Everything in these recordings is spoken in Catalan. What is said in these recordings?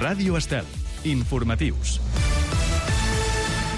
Ràdio Estel. Informatius.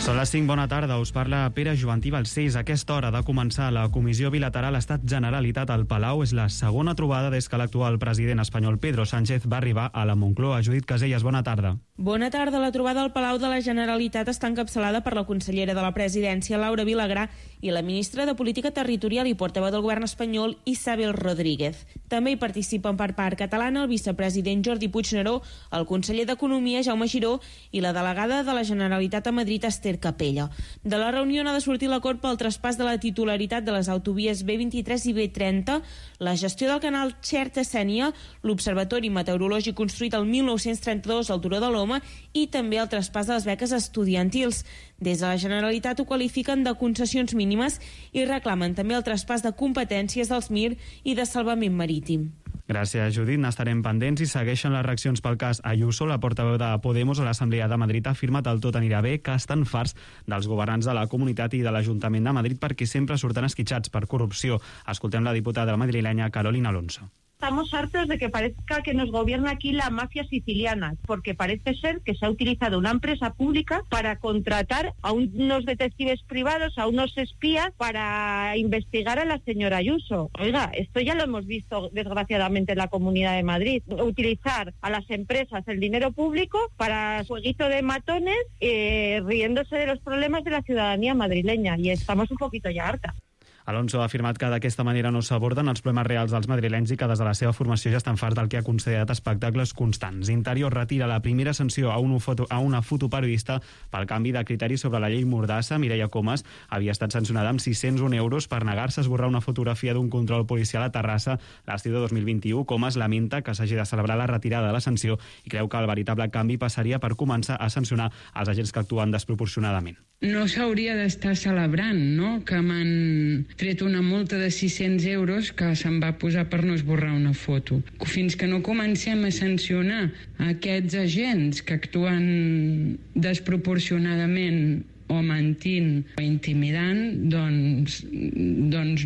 Són les 5, bona tarda, us parla Pere Jovantí Balcells. A aquesta hora de començar la Comissió Bilateral Estat-Generalitat al Palau. És la segona trobada des que l'actual president espanyol Pedro Sánchez va arribar a la Moncloa. Judit Casellas, bona tarda. Bona tarda. La trobada al Palau de la Generalitat està encapçalada per la consellera de la Presidència, Laura Vilagrà, i la ministra de Política Territorial i portaveu del govern espanyol, Isabel Rodríguez. També hi participen per part catalana el vicepresident Jordi Puigneró, el conseller d'Economia, Jaume Giró, i la delegada de la Generalitat a Madrid, Esther Capella. De la reunió n'ha de sortir l'acord pel traspàs de la titularitat de les autovies B23 i B30, la gestió del canal Xerta-Sénia, l'observatori meteorològic construït el 1932 al Turó de l'Home i també el traspàs de les beques estudiantils. Des de la Generalitat ho qualifiquen de concessions mínimes i reclamen també el traspàs de competències dels MIR i de salvament marítim. Gràcies, Judit. N'estarem pendents i segueixen les reaccions pel cas Ayuso. La portaveu de Podemos a l'Assemblea de Madrid ha afirmat el tot anirà bé, que estan farts dels governants de la comunitat i de l'Ajuntament de Madrid perquè sempre surten esquitxats per corrupció. Escoltem la diputada madrilenya Carolina Alonso. Estamos hartos de que parezca que nos gobierna aquí la mafia siciliana, porque parece ser que se ha utilizado una empresa pública para contratar a unos detectives privados, a unos espías, para investigar a la señora Ayuso. Oiga, esto ya lo hemos visto desgraciadamente en la Comunidad de Madrid. Utilizar a las empresas el dinero público para jueguito de matones, riéndose de los problemas de la ciudadanía madrileña, y estamos un poquito ya hartas. Alonso ha afirmat que d'aquesta manera no s'aborden els problemes reals dels madrilenys i que des de la seva formació ja estan farts del que ha considerat espectacles constants. Interior retira la primera sanció a una fotoperiodista pel canvi de criteri sobre la llei Mordassa. Mireia Comas havia estat sancionada amb 601 euros per negar-se a esborrar una fotografia d'un control policial a Terrassa l'estiu de 2021. Comas lamenta que s'hagi de celebrar la retirada de la sanció i creu que el veritable canvi passaria per començar a sancionar els agents que actuen desproporcionadament. No s'hauria d'estar celebrant, no?, que m'han tret una multa de 600 euros que se'm va posar per no esborrar una foto. Fins que no comencem a sancionar aquests agents que actuen desproporcionadament o mentint o intimidant, doncs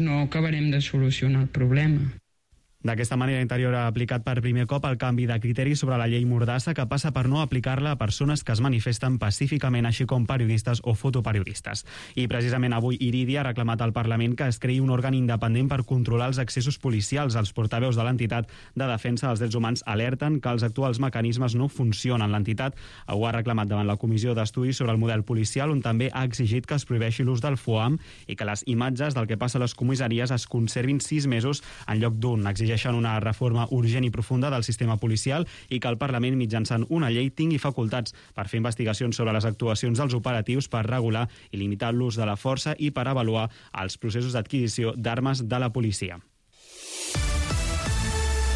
no acabarem de solucionar el problema. D'aquesta manera, Interior ha aplicat per primer cop el canvi de criteri sobre la llei Mordassa, que passa per no aplicar-la a persones que es manifesten pacíficament, així com periodistes o fotoperiodistes. I precisament avui Iridia ha reclamat al Parlament que es creï un òrgan independent per controlar els accessos policials. Els portaveus de l'entitat de defensa dels drets humans alerten que els actuals mecanismes no funcionen. L'entitat ho ha reclamat davant la Comissió d'Estudis sobre el model policial, on també ha exigit que es prohibeixi l'ús del FOAM i que les imatges del que passa a les comissaries es conservin 6 mesos en lloc d'un. Exigeixen una reforma urgent i profunda del sistema policial i que el Parlament, mitjançant una llei, tingui facultats per fer investigacions sobre les actuacions dels operatius, per regular i limitar l'ús de la força i per avaluar els processos d'adquisició d'armes de la policia.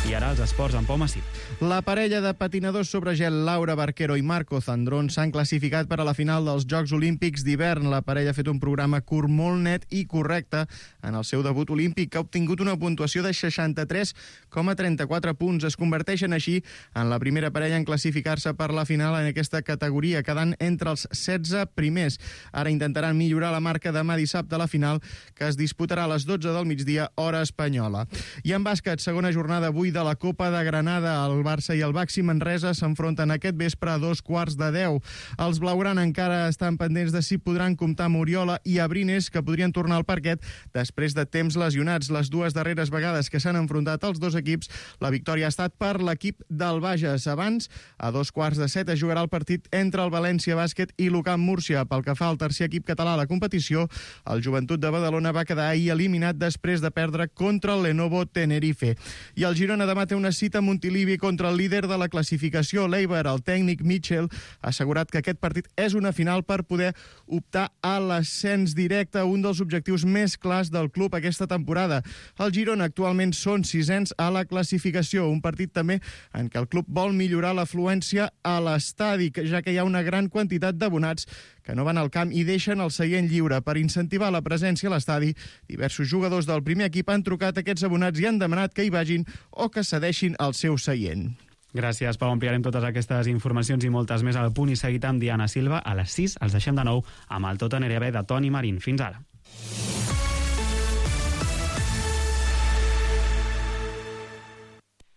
I ara els esports amb Pau Massip. La parella de patinadors sobre gel Laura Barquero i Marco Zandrón s'han classificat per a la final dels Jocs Olímpics d'hivern. La parella ha fet un programa curt molt net i correcte en el seu debut olímpic, que ha obtingut una puntuació de 63,34 punts. Es converteixen així en la primera parella en classificar-se per la final en aquesta categoria, quedant entre els 16 primers. Ara intentaran millorar la marca demà dissabte a la final, que es disputarà a les 12 del migdia, hora espanyola. I en bàsquet, segona jornada avui de la Copa de Granada. El Barça i el Baxi Manresa s'enfronten aquest vespre a 2:15. Els blaugrana encara estan pendents de si podran comptar amb Oriola i Abrines, que podrien tornar al parquet després de temps lesionats. Les dues darreres vegades que s'han enfrontat els dos equips, la victòria ha estat per l'equip del Bages. Abans, a 6:45, es jugarà el partit entre el València Bàsquet i l'UCAM Múrcia. Pel que fa al tercer equip català a la competició, el Joventut de Badalona va quedar ahir eliminat després de perdre contra el Lenovo Tenerife. I el Girona demà té una cita a Montilivi contra el líder de la classificació, l'Eibar. El tècnic Mitchell ha assegurat que aquest partit és una final per poder optar a l'ascens directe, un dels objectius més clars del club aquesta temporada. El Girona actualment són 6ens a la classificació, un partit també en què el club vol millorar l'afluència a l'estadi, ja que hi ha una gran quantitat d'abonats que no van al camp i deixen el seient lliure. Per incentivar la presència a l'estadi, diversos jugadors del primer equip han trucat a aquests abonats i han demanat que hi vagin o que cedeixin el seu seient. Gràcies, Pau. Ampliarem totes aquestes informacions i moltes més al Punt i Seguit amb Diana Silva. A les 6 els deixem de nou amb el Tot anirà bé de Toni Marín. Fins ara.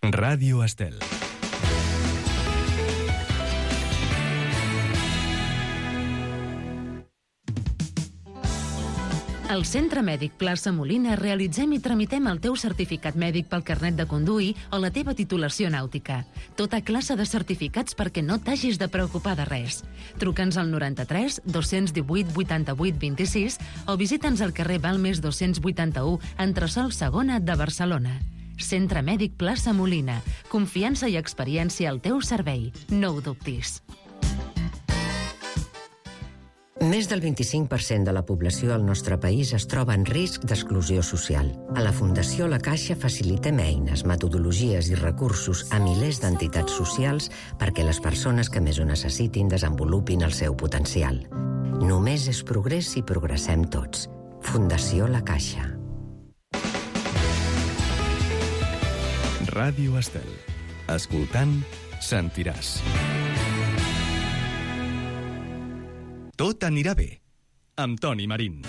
Ràdio Estel. Al Centre Mèdic Plaça Molina realitzem i tramitem el teu certificat mèdic pel carnet de conduir o la teva titulació nàutica. Tota classe de certificats perquè no t'hagis de preocupar de res. Truca'ns al 93 218 88 26 o visita'ns al carrer Balmes 281, entresòl Segona de Barcelona. Centre Mèdic Plaça Molina. Confiança i experiència al teu servei. No ho dubtis. Més del 25% de la població al nostre país es troba en risc d'exclusió social. A la Fundació La Caixa facilitem eines, metodologies i recursos a milers d'entitats socials perquè les persones que més ho necessitin desenvolupin el seu potencial. Només és progrés si progressem tots. Fundació La Caixa. Ràdio Estel. Escoltant, sentiràs. Tot anirà bé, amb Toni Marín.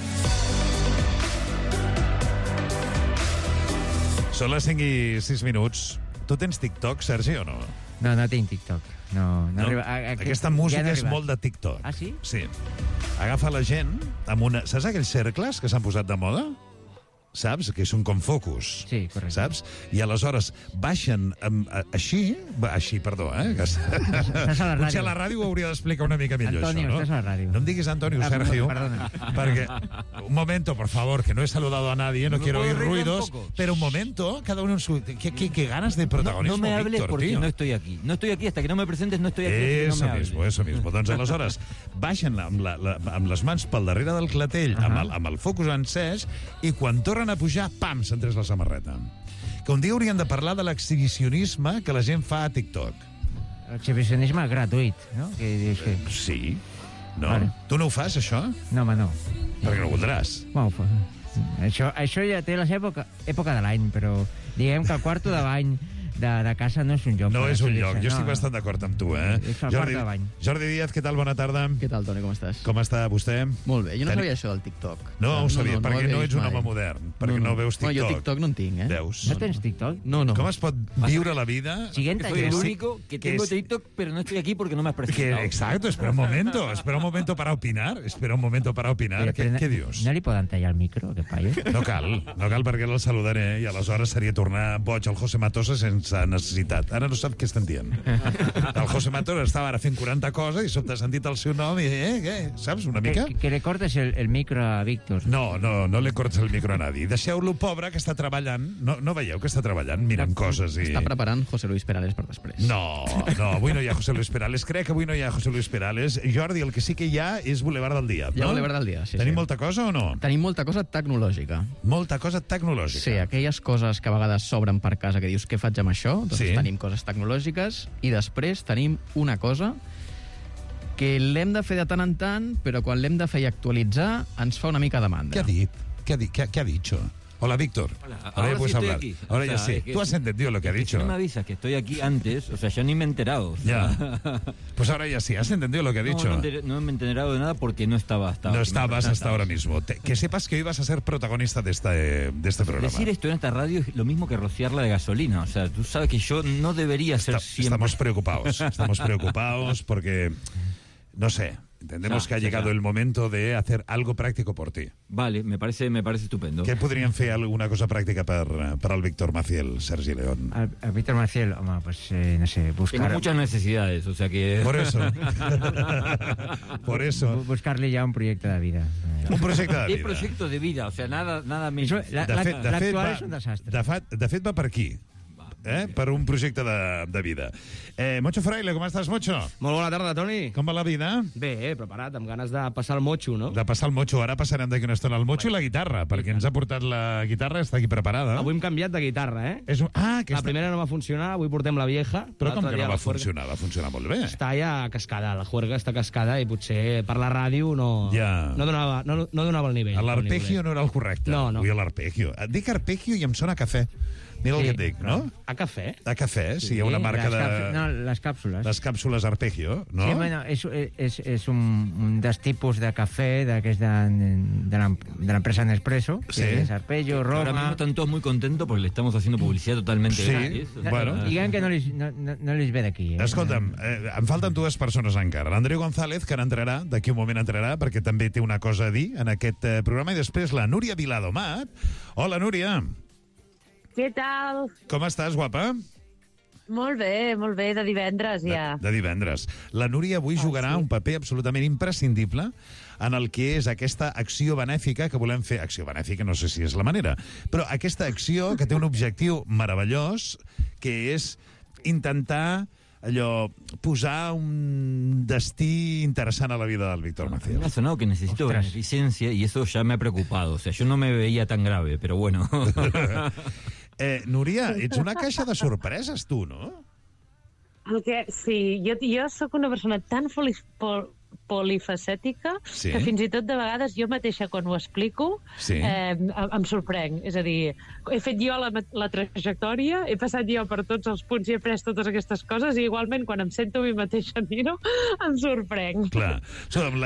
Són les 5:06. Tu tens TikTok, Sergi, o no? No, no tinc TikTok. No? Aquesta música és molt de TikTok. Ah, sí? Sí. Agafa la gent amb una... Saps aquells cercles que s'han posat de moda? Saps? Que són com focus. Sí, correcte. Saps? I aleshores baixen així, perdó, Estàs a la ràdio. Potser a la ràdio ho hauria d'explicar una mica millor, Antonio, això, no? estàs a la ràdio. No em diguis Antonio, Sergio. Perdona. Porque, un momento, por favor, que no he saludado a nadie, no quiero oír ruidos, pero un momento, cada uno en su... ¿Qué ganas de protagonismo, no me hables Víctor, porque tío? no estoy aquí. No estoy aquí, hasta que no me presentes no estoy aquí. Eso mismo. Doncs aleshores baixen amb les mans pel darrere del clatell, amb el focus encès, i quan tornen a pujar, pam, s'han tret la samarreta. Que un dia haurien de parlar de l'exhibicionisme que la gent fa a TikTok. L'exhibicionisme gratuït, no? Sí. No? Vale. Tu no ho fas, això? No, home, no. Perquè no ho voldràs. Bueno, això ja té la seva època de l'any, però diguem que el quarto de bany de casa no és un lloc. No és un lloc, jo estic bastant d'acord amb tu, És el quart de bany. Jordi Díaz, què tal? Bona tarda. Què tal, Toni, com estàs? Com està vostè? Molt bé, jo no sabia això del TikTok. No ho sabia, perquè no ets un home modern, perquè no veus TikTok. No, jo TikTok no en tinc, Veus? ¿No tens TikTok? No. Com es pot viure la vida? Siguiente. Soy el único que tengo TikTok, pero no estoy aquí porque no me has presentado. Exacto, espera un momento para opinar. Què dius? No li poden tallar el micro, aquest paio? No cal perquè el saludaré i aleshores seria tornar boig al José Matosa sense necessitat. Ara no sap què estan dient. El José Matosa estava ara fent 40 coses i sobte ha sentit el seu nom i, què? Saps, una mica? Que le cortes el micro a Víctor. No le cortes el micro a nadie. Deixeu-lo pobre, que està treballant. No veieu que està treballant, mirant coses i... Està preparant José Luis Perales per després. No, avui no hi ha José Luis Perales. Crec que avui no hi ha José Luis Perales. Jordi, el que sí que hi ha és Boulevard del Dia. Hi ha Boulevard del Dia, sí. Tenim molta cosa o no? Tenim molta cosa tecnològica. Molta cosa tecnològica. Sí, aquelles coses que a vegades s'obren per casa que dius, què faig amb això? Doncs tenim coses tecnològiques i després tenim una cosa que l'hem de fer de tant en tant, però quan l'hem de fer i actualitzar ens fa una mica de mandra. ¿Qué ha dit? ¿Qué ha dicho? Hola, Víctor. Hola. Ahora ya Sí puedes hablar. aquí. Ahora ya sí. Tú has entendido lo que ha dicho. Si no me avisas que estoy aquí antes, o sea, yo ni me he enterado. Ya. Pues ahora ya sí. ¿Has entendido lo que ha dicho? No me he enterado de nada porque no estaba hasta ahora. No estabas hasta ahora mismo. Que sepas que hoy vas a ser protagonista de este programa. Decir esto en esta radio es lo mismo que rociarla de gasolina. O sea, tú sabes que yo no debería ser siempre... Estamos preocupados porque, no sé... Entendemos que ha llegado el momento de hacer algo práctico por ti. Vale, me parece estupendo. ¿Qué podrían fer alguna cosa pràctica per al Víctor Maciel, Sergi León? El Víctor Maciel, home, pues, no sé, buscar... Tengo muchas necesidades, o sea que... Por eso. Por eso. Buscar-li ja un projecte de vida. Un projecte de vida. ¿Qué proyecto de vida? O sea, nada més... L'actual és un desastre. De fet, va per aquí. Per un projecte de vida. Mocho Fraile, com estàs, Mocho? Molt bona tarda, Toni. Com va la vida? Bé, preparat, amb ganes de passar el motxo, no? De passar el motxo. Ara passarem d'aquí una estona el motxo i la guitarra, perquè ens ha portat la guitarra, està aquí preparada. Avui hem canviat de guitarra, La primera no va funcionar, avui portem la vieja. Però com que no va funcionar? Va funcionar molt bé. Està ja cascada, la juerga està cascada i potser per la ràdio no donava el nivell. L'arpegio no era el correcte. No. Avui l'arpegio. Et dic arpegio i em sona cafè. Mira el que et dic, no? A cafè? A cafè, sí, hi ha una marca de... No, les càpsules. Les càpsules Arpeggio, no? Sí, bueno, és un dels tipus de cafè que és de l'empresa Nespresso, que és Arpeggio, Roma... Ahora mismo están todos muy contentos porque le estamos haciendo publicidad totalmente gratis. Bueno. Diguem que no les ve d'aquí. Escolta'm, em falten dues persones encara. L'Andreu González, que entrarà, d'aquí un moment entrarà, perquè també té una cosa a dir en aquest programa, i després la Núria Viladomat. Hola, Núria. Què tal? Com estàs, guapa? Molt bé, de divendres ja. De divendres. La Núria avui jugarà un paper absolutament imprescindible en el que és aquesta acció benèfica que volem fer. Acció benèfica, no sé si és la manera, però aquesta acció que té un objectiu meravellós, que és intentar posar un destí interessant a la vida del Víctor Maciel. Me ha sonado que necesito beneficencia y eso ya me ha preocupado. O sea, yo no me veía tan grave, pero bueno. Núria, ets una caixa de sorpreses, tu, no? Sí, jo sóc una persona tan polifacètica que fins i tot de vegades jo mateixa quan ho explico em sorprenc. És a dir, he fet jo la trajectòria, he passat jo per tots els punts i he pres totes aquestes coses i igualment quan em sento a mi mateixa dir-ho em sorprenc. Clar.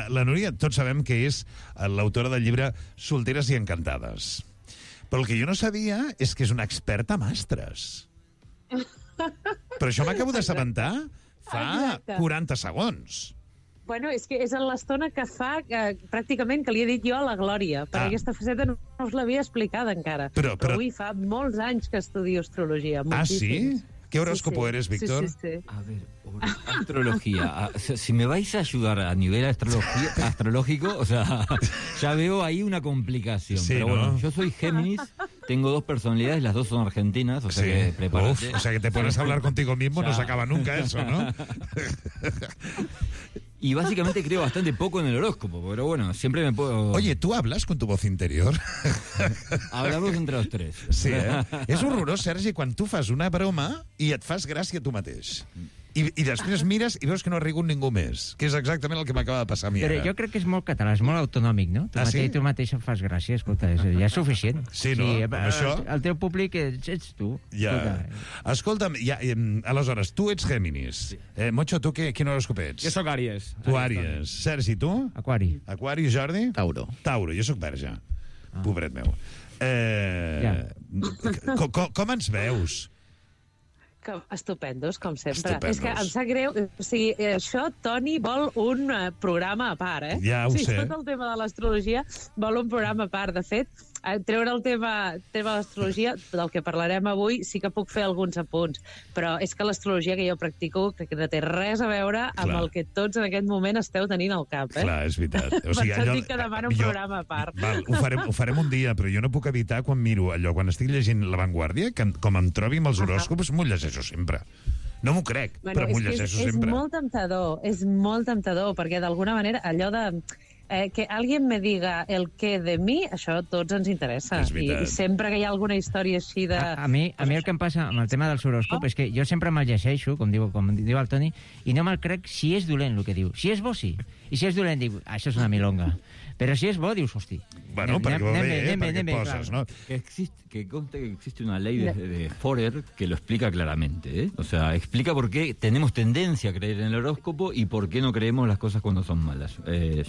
La Núria, tots sabem que és l'autora del llibre Solteres i encantades. Però el que jo no sabia és que és una experta a mastres. Però això m'acabo d'assabentar fa 40 segons. Bueno, és que és en l'estona que fa pràcticament que li he dit jo a la Glòria, perquè aquesta faceta no us l'havia explicada encara. Però avui fa molts anys que estudio astrologia. Sí? ¿Qué horóscopo eres, Víctor? Sí. A ver, astrología. Si me vais a ayudar a nivel astrológico, o sea, ya veo ahí una complicación. Sí, pero bueno, yo soy Géminis, tengo dos personalidades, las dos son argentinas, o sea que prepárate. O sea que te pones a hablar contigo mismo, no se acaba nunca eso, ¿no? Y básicamente creo bastante poco en el horóscopo, pero bueno, siempre me puedo... Oye, ¿tú hablas con tu voz interior? Hablamos entre los tres. Sí, És horrorós, Sergi, quan tu fas una broma i et fas gràcia tu mateix. I després mires i veus que no ha rigut ningú més, que és exactament el que m'acaba de passar a mi ara. Però jo crec que és molt català, és molt autonòmic, no? Tu mateix em fas gràcia, escolta, ja és suficient. Sí, no? Això... El teu públic ets tu. Ja. Escolta'm, aleshores, tu ets Géminis. Mocho, tu quin horòscop ets? Jo sóc Àries. Tu Àries. Sergi, tu? Aquari. Aquari, Jordi? Tauro. Tauro, jo sóc Verge. Pobret meu. Com ens veus? Estupendos, com sempre. És que em sap greu. O sigui, això, Toni, vol un programa a part, eh? Ja ho sé. Tot el tema de l'astrologia vol un programa a part. De fet, treure el tema de l'astrologia, del que parlarem avui, sí que puc fer alguns apunts. Però és que l'astrologia que jo practico crec que no té res a veure amb el que tots en aquest moment esteu tenint al cap, eh? Clar, és veritat. Per això dic que demano un programa a part. Val, ho farem un dia, però jo no puc evitar quan miro allò, quan estic llegint La Vanguardia, que com em trobi amb els horòscops, m'ho llegeixo sempre. No m'ho crec, però m'ho llegeixo sempre. És molt temptador, perquè d'alguna manera allò de... que alguien me diga el què de mi, això a tots ens interessa. I sempre que hi ha alguna història així de... A mi el que em passa amb el tema del horòscop és que jo sempre me'l llegeixo, com diu el Toni, i no me'l crec si és dolent el que diu. Si és bo, sí. I si és dolent, dic, això és una milonga. Però si és bo, dius, hosti. Bueno, perquè va bé, perquè poses, ¿no? Que conste que existe una ley de Forer que lo explica claramente, ¿eh? O sea, explica por qué tenemos tendencia a creer en el horóscopo y por qué no creemos las cosas cuando son malas.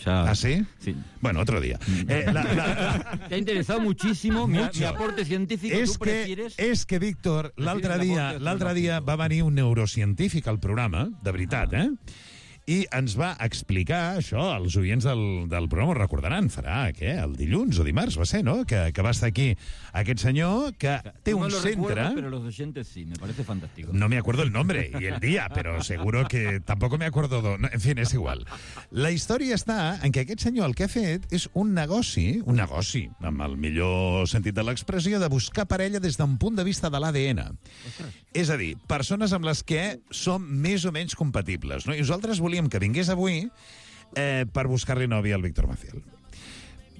¿Ah, sí? Sí. Bueno, otro día. Te ha interesado muchísimo mi aporte científico. És que, Víctor, l'altre dia va venir un neurocientífic al programa, de veritat, i ens va explicar això, els oients del programa ho recordaran, farà, què, el dilluns o dimarts va ser, no?, que va estar aquí aquest senyor que té un centre... Pero los oyentes sí, me parece fantástico. No me acuerdo el nombre y el día, pero seguro que tampoco me acuerdo... En fin, és igual. La història està en que aquest senyor el que ha fet és un negoci, amb el millor sentit de l'expressió, de buscar parella des d'un punt de vista de l'ADN. És a dir, persones amb les que som més o menys compatibles, no? I nosaltres volíem que vingués avui per buscar-li novia al Víctor Maciel.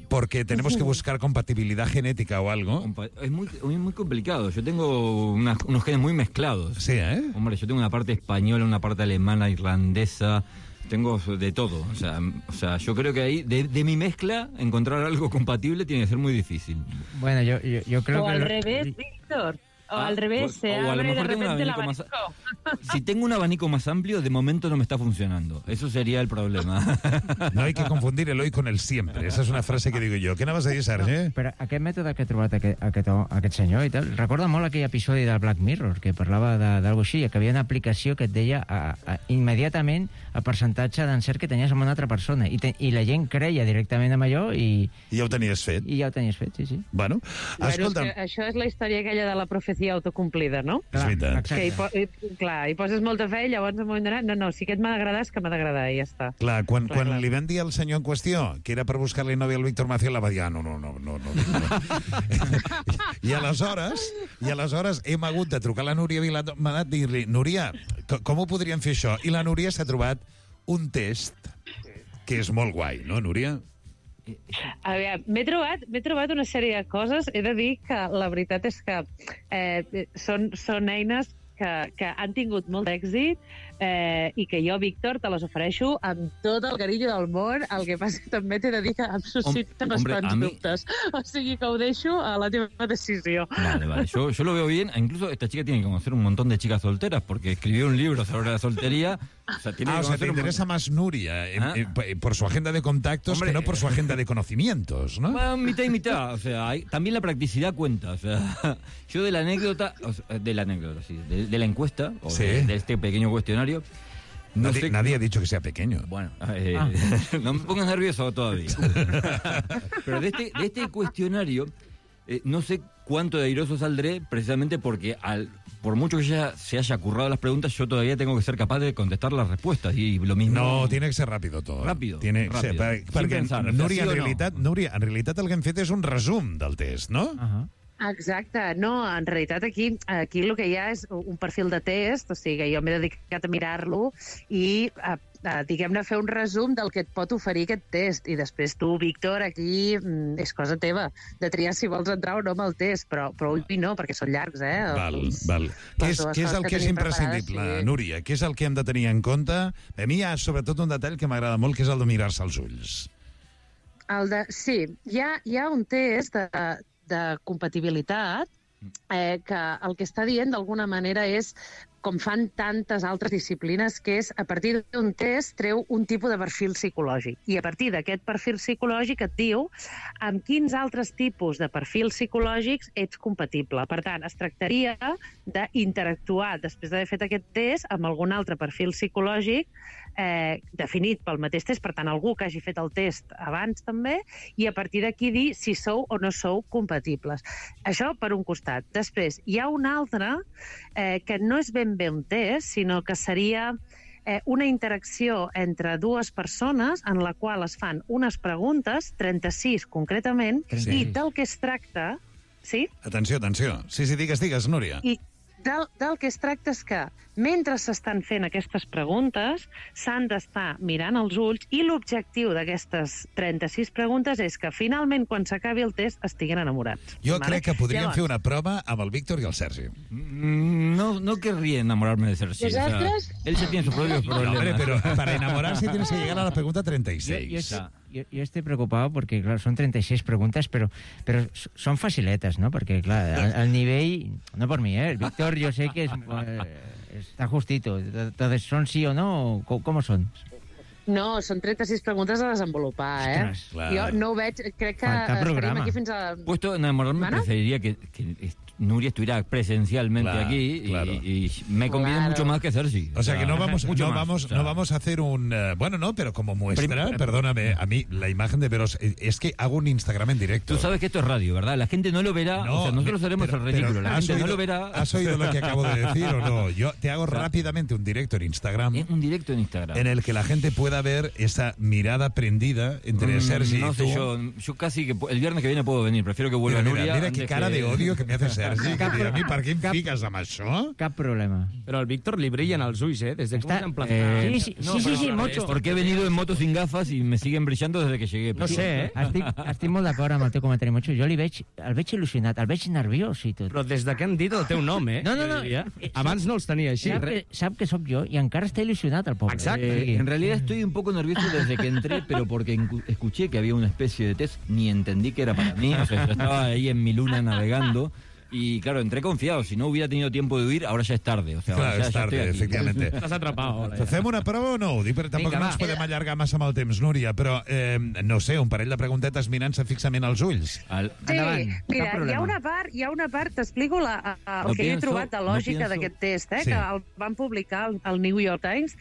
Porque tenemos que buscar compatibilidad genética o algo. Es muy complicado. Yo tengo unos genes muy mezclados. Sí, ¿eh? Hombre, yo tengo una parte española, una parte alemana, irlandesa... Tengo de todo. O sea, yo creo que ahí, de mi mezcla, encontrar algo compatible tiene que ser muy difícil. Bueno, yo creo que... O al revés, Víctor. O al revés, se o a lo abre de mejor tengo un repente el abanico abanico. Si tengo un abanico más amplio, de momento no me está funcionando. Eso sería el problema. No hay que confundir el hoy con el siempre. Esa és una frase que digo jo. Què anaves a dir, Sergi? Però aquest mètode que ha trobat aquest senyor i tal, recorda molt aquell episodi del Black Mirror, que parlava d'algo així, que havia una aplicació que et deia immediatament el percentatge d'encert que tenies amb una altra persona. I la gent creia directament amb allò i ja ho tenies fet. I ja ho tenies fet, sí. Bueno, escolta'm... Això és la història aquella de la profecia autocomplida, no? És veritat. Que hi poses molta fe i llavors en un moment donat, no, si aquest m'ha d'agradar és que m'ha d'agradar i ja està. Clar, quan li van dir al senyor en qüestió que era per buscar-li nòvia al Víctor Maciel, va dir, no. I aleshores hem hagut de trucar a la Núria Viladomat i dir-li, Núria, com ho podríem fer això? I la Núria s'ha trobat un test que és molt guai, no, Núria? A veure, m'he trobat una sèrie de coses. He de dir que la veritat és que són eines que han tingut molt d'èxit i que jo, Víctor, te les ofereixo amb tot el carinyo del món. El que passa que també t'he de dir que em suscita bastants dubtes. O sigui que ho deixo a la teva decisió. Vale. Yo lo veo bien. Incluso esta chica tiene que conocer un montón de chicas solteras porque escribió un libro sobre la soltería. O sea, te interesa más Nuria por su agenda de contactos que no por su agenda de conocimientos, ¿no? Bueno, mitad y mitad. O sea, también la practicidad cuenta. O sea, yo de la anécdota, sí, de la encuesta, o de este pequeño cuestionario. Nadie ha dicho que sea pequeño. Bueno, no me pongas nervioso todavía. Pero de este cuestionario, no sé cuánto de airoso saldré, precisamente porque por mucho que ya se haya currado las preguntas, yo todavía tengo que ser capaz de contestar las respuestas. Y lo mismo... No, tiene que ser ràpid tot. Ràpid. Perquè, Núria, en realitat el que hem fet és un resum del test, no? Exacte. No, en realitat aquí el que hi ha és un perfil de test, o sigui, jo m'he dedicat a mirar-lo i diguem-ne, fer un resum del que et pot oferir aquest test. I després tu, Víctor, aquí és cosa teva de triar si vols entrar o no amb el test, però avui no, perquè són llargs, Val. Què és el que és imprescindible, Núria? Què és el que hem de tenir en compte? A mi hi ha sobretot un detall que m'agrada molt, que és el de mirar-se als ulls. Sí, hi ha un test de compatibilitat que el que està dient d'alguna manera és, com fan tantes altres disciplines, que és a partir d'un test treu un tipus de perfil psicològic. I a partir d'aquest perfil psicològic et diu amb quins altres tipus de perfils psicològics ets compatible. Per tant, es tractaria d'interactuar, després d'haver fet aquest test, amb algun altre perfil psicològic definit pel mateix test, per tant, algú que hagi fet el test abans també, i a partir d'aquí dir si sou o no sou compatibles. Això per un costat. Després, hi ha un altre que no és ben bé un test, sinó que seria una interacció entre dues persones en la qual es fan unes preguntes, 36 concretament, i del que es tracta... Sí? Atenció. Sí, digues, Núria. I del que es tracta és que mentre s'estan fent aquestes preguntes s'han d'estar mirant als ulls i l'objectiu d'aquestes 36 preguntes és que finalment quan s'acabi el test estiguin enamorats. Jo crec que podríem fer una prova amb el Víctor i el Sergi. No querría enamorarme de Sergi. ¿Vosotros? Él se tiene sus propios problemas. No, hombre, pero para enamorarse tienes que llegar a la pregunta 36. Yo estoy preocupado porque, claro, son 36 preguntas, pero son faciletas, ¿no? Porque, claro, al nivel... No por mí, ¿eh? El Víctor yo sé que está justito. Entonces, ¿son sí o no? ¿Cómo son? No, són 36 preguntes a desenvolupar, Ostres, clar. Jo no ho veig, crec que estarem aquí fins a... Puesto en enamorarme, preferiría que Nuria estuviera presencialmente aquí y me conviene mucho más que Sergi. O sea que no vamos a hacer un... bueno, no, pero como muestra, perdóname, a mí la imagen de veros es que hago un Instagram en directo. Tú sabes que esto es radio, ¿verdad? La gente no lo verá, no, o sea, nosotros haremos el ridículo, la gente no lo verá. ¿Has oído lo que acabo de decir o no? Yo te hago rápidamente un directo en Instagram. Un directo en Instagram. En el que la gente pueda ver esa mirada prendida entre Sergi y tú. No sé, yo casi que el viernes que viene puedo venir, prefiero que vuelva Núria. Mira qué cara de odio que me hace Sergi, que dirà, a mi per què em fiques amb això? Cap problema. Però al Víctor li brillen els ulls, Desde que está sí, mucho. Porque he venido en moto sin gafas y me siguen brillando desde que llegué. No sé, estic molt d'acord amb el teu comentari, Mocho. Jo el veig il·lusionat, el veig nerviós i tot. Però des de que han dit el teu nom, No. Abans no els tenia així. Sap que sóc jo i encara està il·lusionat el pobre. Exacte. En realidad estoy un poco nervioso desde que entré, pero porque escuché que había una especie de test, ni entendí que era para mí. O sea, yo estaba ahí en mi luna navegando. Y claro, entré confiado. Si no hubiera tenido tiempo de huir, ahora ya es tarde. O sea, Clar, és tarda, efectivamente. Estàs atrapat. Fem una prova o no? Ho dic perquè tampoc no ens podem allargar massa amb el temps, Núria, però no sé, un parell de preguntetes mirant-se fixament als ulls. Sí, mira, hi ha una part, t'explico el que he trobat de lògica d'aquest test, que el van publicar al New York Times.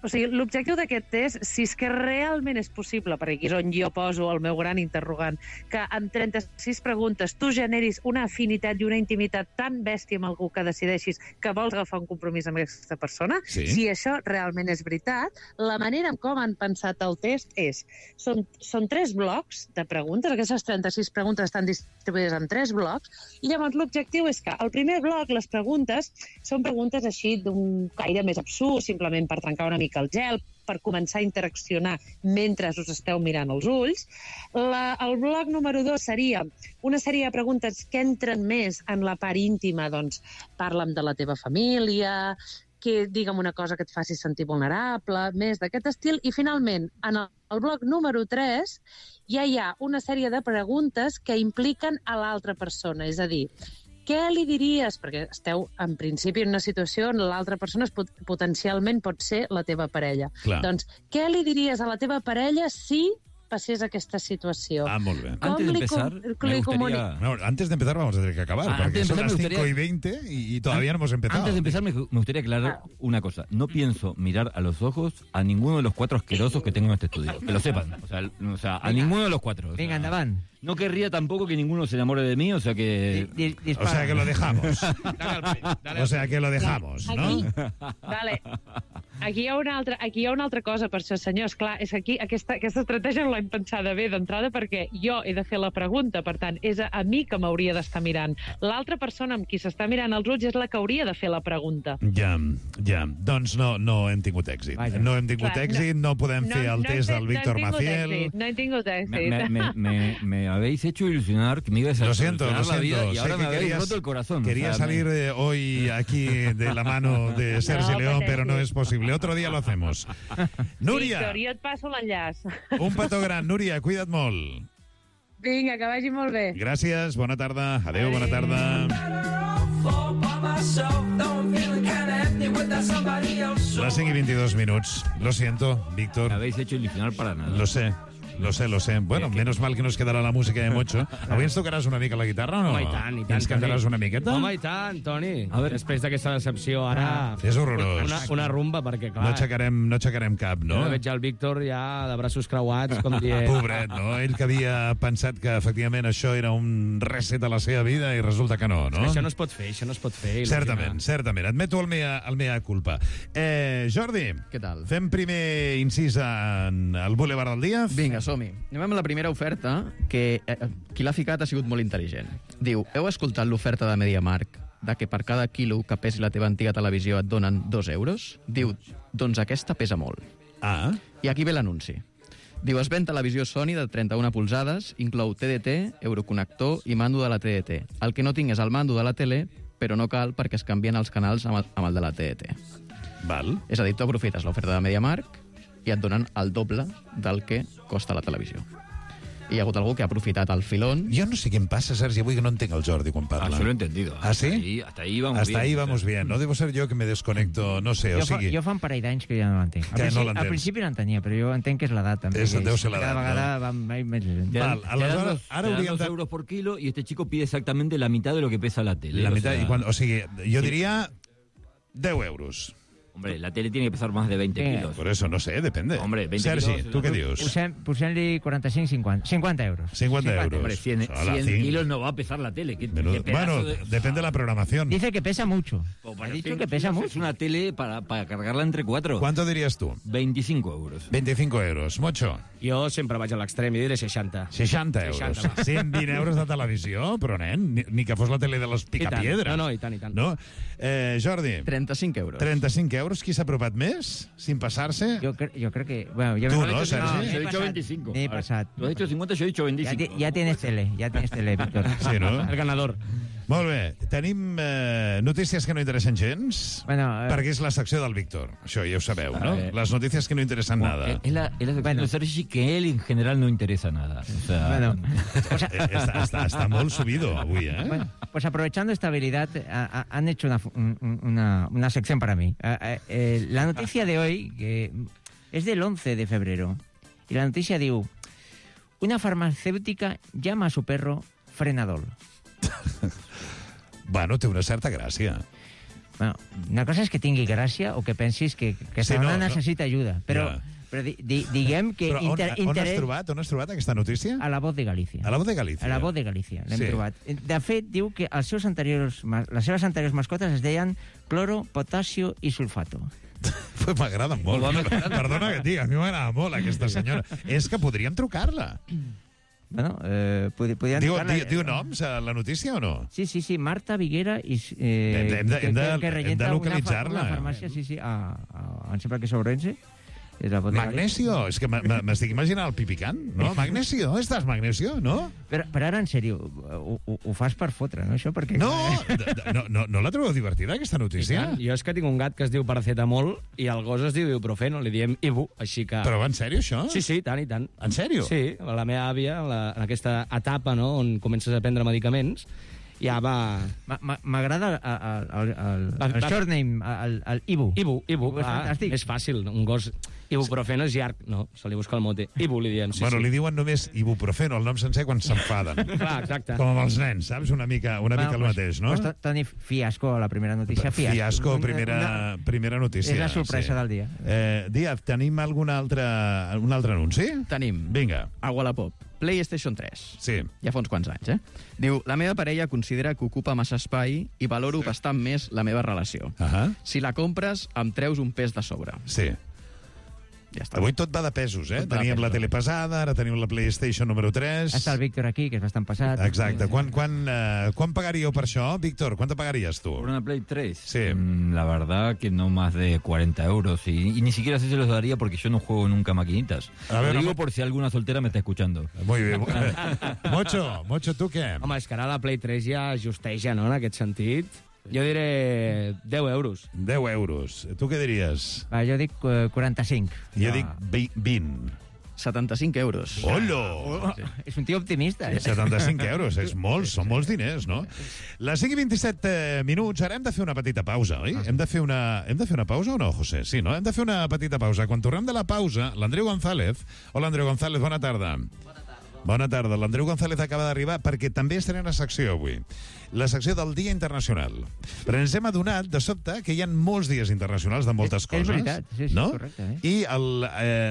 O sigui, l'objectiu d'aquest test, si és que realment és possible, perquè aquí és on jo poso el meu gran interrogant, que en 36 preguntes tu generis una afinitat i una intimitat tan bèstia amb algú que decideixis que vols agafar un compromís amb aquesta persona, si això realment és veritat, la manera en com han pensat el test és... Són 3 blocs de preguntes, aquestes 36 preguntes estan distribuïdes en 3 blocs, i llavors l'objectiu és que el primer bloc, les preguntes, són preguntes així d'un caire més absurd, simplement per trencar una mica el gel, per començar a interaccionar mentre us esteu mirant els ulls. El bloc número 2 seria una sèrie de preguntes que entren més en la part íntima, doncs parla'm de la teva família, que digue'm una cosa que et faci sentir vulnerable, més d'aquest estil. I finalment, en el bloc número 3 ja hi ha una sèrie de preguntes que impliquen a l'altra persona, és a dir, què li diries? Perquè esteu, en principi, en una situació on l'altra persona potencialment pot ser la teva parella. Clar. Doncs, què li diries a la teva parella si passés aquesta situació? Molt bé. Antes de empezar, me gustaría... No, antes de empezar vamos a tener que acabar, porque son las 5:20 y todavía no hemos empezado. Antes de empezar, me gustaría aclarar una cosa. No pienso mirar a los ojos a ninguno de los 4 asquerosos que tengo en este estudio. Que lo sepan. O sea, a ninguno de los 4. O sea, Venga, endavant. No querría tampoco que ninguno se enamore de mí, o sea que... O sea que lo dejamos. O sea que lo dejamos, ¿no? Vale. Aquí hi ha una altra cosa per això, senyors. Clar, és que aquí aquesta estratègia no l'hem pensada bé d'entrada perquè jo he de fer la pregunta, per tant, és a mi que m'hauria d'estar mirant. L'altra persona amb qui s'està mirant els ulls és la que hauria de fer la pregunta. Ja. Doncs no hem tingut èxit. No hem tingut èxit, no podem fer el test del Víctor Maciel. No he tingut èxit. Me habéis hecho ilusionar, que me ibas a solucionar la vida y ahora me habéis roto el corazón. Quería salir hoy aquí de la mano de Sergi León, pero no es posible. Otro día lo hacemos. Núria. Víctor, jo et passo l'enllaç. Un petó gran, Núria, cuida't molt. Vinga, que vagi molt bé. Gràcies, bona tarda. Adéu, bona tarda. Las 5:22. Lo siento, Víctor. Me habéis hecho ilusionar para nada. Lo sé. Bueno, menos mal que nos quedarà la música de Mocho. Avui ens tocaràs una mica la guitarra o no? Home, i tant. Ens cantaràs una miqueta? Home, i tant, Toni. A veure, després d'aquesta decepció, ara... És horrorós. Una rumba, perquè, clar... No aixecarem cap, no? Jo veig el Víctor ja de braços creuats, com dient... Pobret, no? Ell que havia pensat que, efectivament, això era un reset a la seva vida i resulta que no, no? Això no es pot fer, Certament. Admeto el mea culpa. Jordi. Què tal? Fem primer incís al Boulevard del Dia? Vinga, som-hi. Anem amb la primera oferta, que qui l'ha ficat ha sigut molt intel·ligent. Diu, heu escoltat l'oferta de MediaMarkt de que per cada quilo que pesi la teva antiga televisió et donen 2 euros? Diu, doncs aquesta pesa molt. I aquí ve l'anunci. Diu, es ven televisió Sony de 31 polzades, inclou TDT, euroconnector i mando de la TDT. El que no tinc és el mando de la tele, però no cal perquè es canvien els canals amb el de la TDT. Val. És a dir, tu aprofites l'oferta de MediaMarkt i et donen el doble del que costa la televisió. I hi ha hagut algú que ha aprofitat el filón. Jo no sé què em passa, Sergi, avui que no entenc el Jordi quan parla. Això lo he entendido. ¿Ah, sí? Hasta ahí vamos bien. No debo ser jo que me desconecto, no sé, Jo fa un parell d'anys que ja no l'entenc. Al principi l'entenia, però jo entenc que és l'edat, també. Deu ser l'edat, cada vegada va més lent. Val, aleshores, ara hauríem 2 euros por kilo y este chico pide exactamente la mitad de lo que pesa la tele. La mitad, o sigui, jo diria 10 euros. Hombre, la tele tiene que pesar más de 20 kilos. Por eso, no sé, depende. Hombre, 20 Sergi, kilos... ¿tú qué dius? Posem-li 50 euros. 50 euros. Hombre, 100 kilos no va a pesar la tele. Bueno, depende de la programación. Dice que pesa mucho. Ha dicho que pesa mucho. Es una tele para cargarla entre 4. ¿Cuánto dirías tú? 25 euros. 25 euros. Mocho? Jo sempre vaig a l'extrem i diré 60. 60 euros. 120 euros de televisió, però, nen, ni que fos la tele de los Picapiedras. No, i tant. No? Jordi? 35 euros. 35 euros. Qui s'ha apropat més, sin pasarse? Jo crec que... Bueno, tu no, Sergi? Yo he dicho 25. He pasat. Tú has dicho 50, yo he dicho 25. Ya tienes tele, Víctor. Sí, ¿no? El ganador. Molt bé. Tenim notícies que no interessen gens, perquè és la secció del Víctor. Això ja ho sabeu, ¿no? Les notícies que no interessen nada. Es la sección de Sergi que él en general no interesa nada. O sea, Está muy subido avui, ¿eh? Bueno, pues aprovechando esta habilidad, han hecho una sección para mí. La noticia de hoy que es del 11 de febrero. Y la noticia diu: una farmacéutica llama a su perro Frenadol. Bueno, té una certa gràcia. Bueno, una cosa és que tingui gràcia o que pensis que Sí, no necessita ajuda, però, però diguem que... Però on has trobat aquesta notícia? A La Voz de Galícia. A La Voz de Galícia? A La Voz de Galícia, l'hem Sí. trobat. De fet, diu que les seves anteriors mascotes es deien cloro, potasio i sulfato. Pues m'agrada molt. Perdona que et digui, a mi m'agrada molt aquesta senyora. És que podríem trucar-la. Bueno, podríem trucar-la... Diu noms a la notícia o no? Sí, Marta Viguera i... Hem de localitzar-la. Una farmàcia, sí, em sembla que és Ourense. Magnesio, és que m'estic imaginant el pipicant, no? Magnesio, estàs Magnesio, no? Però ara, en sèrio, ho fas per fotre, no, això? Perquè... No la trobeu divertida, aquesta notícia? Jo és que tinc un gat que es diu paracetamol i el gos es diu ibuprofeno, li diem ibu, així que... Però en sèrio, això? Sí, tant i tant. En sèrio? Sí, la meva àvia, en aquesta etapa, no?, on comences a prendre medicaments, ja va... M'agrada el surname, el Ibu. Ibu, és fàcil, un gos... Ibuprofeno és llarg, no, se li busca el mote. Ibu, li diem, Bueno, li diuen només ibuprofeno, el nom sencer, quan s'enfaden. Clar, exacte. Com amb els nens, saps? Una mica el mateix, no? Pues Toni, fiasco, la primera notícia, Fiasco, primera notícia. És la sorpresa del dia. Díaz, tenim un altre anunci? Tenim. Vinga. A Wallapop. PlayStation 3. Sí. Ja fa uns quants anys, Diu, la meva parella considera que ocupa massa espai i valoro bastant més la meva relació. Si la compres, em treus un pes de sobre. Sí. Ja està. Avui tot va de pesos, Teníem la tele pesada, ara tenim la PlayStation número 3. Està el Víctor aquí, que és bastant passat. Exacte. Quan pagaríeu per això, Víctor? ¿Cuánto pagarías tú? ¿Por una Play 3? Sí. La verdad que no más de 40 euros. Y ni siquiera sé si los daría porque yo no juego nunca maquinitas. Lo digo por si alguna soltera me está escuchando. Muy bien. Mocho, ¿tú què? Home, és que ara la Play 3 ja justeja, no?, en aquest sentit. Jo diré 10 euros. 10 euros. Tu què diries? Jo dic 45. Jo dic 20. 75 euros. Hola! És un tio optimista, 75 euros, són molts diners, no? Les 5:27 minuts, ara hem de fer una petita pausa, oi? Hem de fer una pausa o no, José? Sí, no? Hem de fer una petita pausa. Quan tornem de la pausa, l'Andreu González... Hola, Andreu González, bona tarda. Bona tarda. L'Andreu González acaba d'arribar perquè també estarà en la secció avui. La secció del Dia Internacional. Però ens hem adonat, de sobte, que hi ha molts dies internacionals de moltes coses. És veritat, sí, no? Correcte. I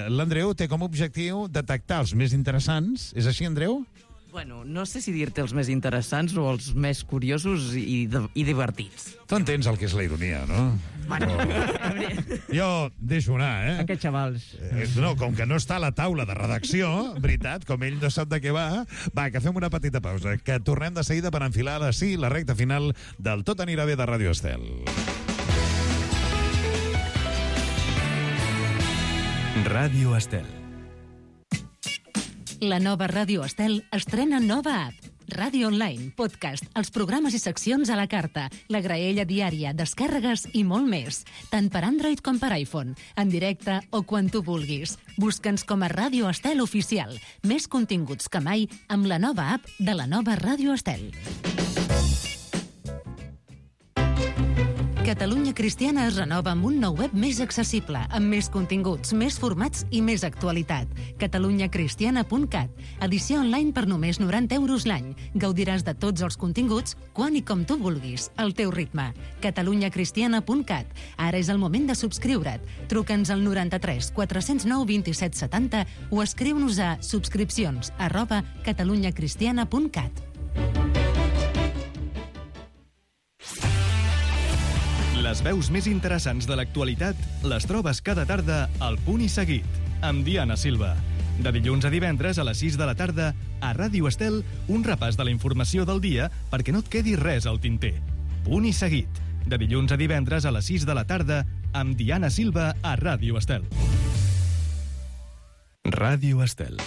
l'Andreu té com a objectiu detectar els més interessants. És així, Andreu? Bueno, no sé si dir-te els més interessants o els més curiosos i divertits. Tu entens el que és la ironia, no? Bueno, Jo deixo anar, Aquests xavals. No, com que no està a la taula de redacció, veritat, com ell no sap de què va, que fem una petita pausa, que tornem de seguida per enfilar la recta final del Tot anirà bé de Ràdio Estel. Ràdio Estel. La nova Ràdio Estel estrena nova app. Ràdio Online, podcast, els programes i seccions a la carta, la graella diària, descàrregues i molt més. Tant per Android com per iPhone, en directe o quan tu vulguis. Busca'ns com a Ràdio Estel Oficial. Més continguts que mai amb la nova app de la nova Ràdio Estel. Catalunya Cristiana es renova amb un nou web més accessible, amb més continguts, més formats i més actualitat. catalunyacristiana.cat. Edició online per només 90 euros l'any. Gaudiràs de tots els continguts, quan i com tu vulguis, al teu ritme. catalunyacristiana.cat. Ara és el moment de subscriure't. Truca'ns al 93 409 27 70 o escriu-nos a subscripcions@catalunyacristiana.cat. Les veus més interessants de l'actualitat les trobes cada tarda al Punt i Seguit, amb Diana Silva. De dilluns a divendres a les 6 de la tarda, a Ràdio Estel, un repàs de la informació del dia perquè no et quedi res al tinter. Punt i Seguit, de dilluns a divendres a les 6 de la tarda, amb Diana Silva a Ràdio Estel. Ràdio Estel.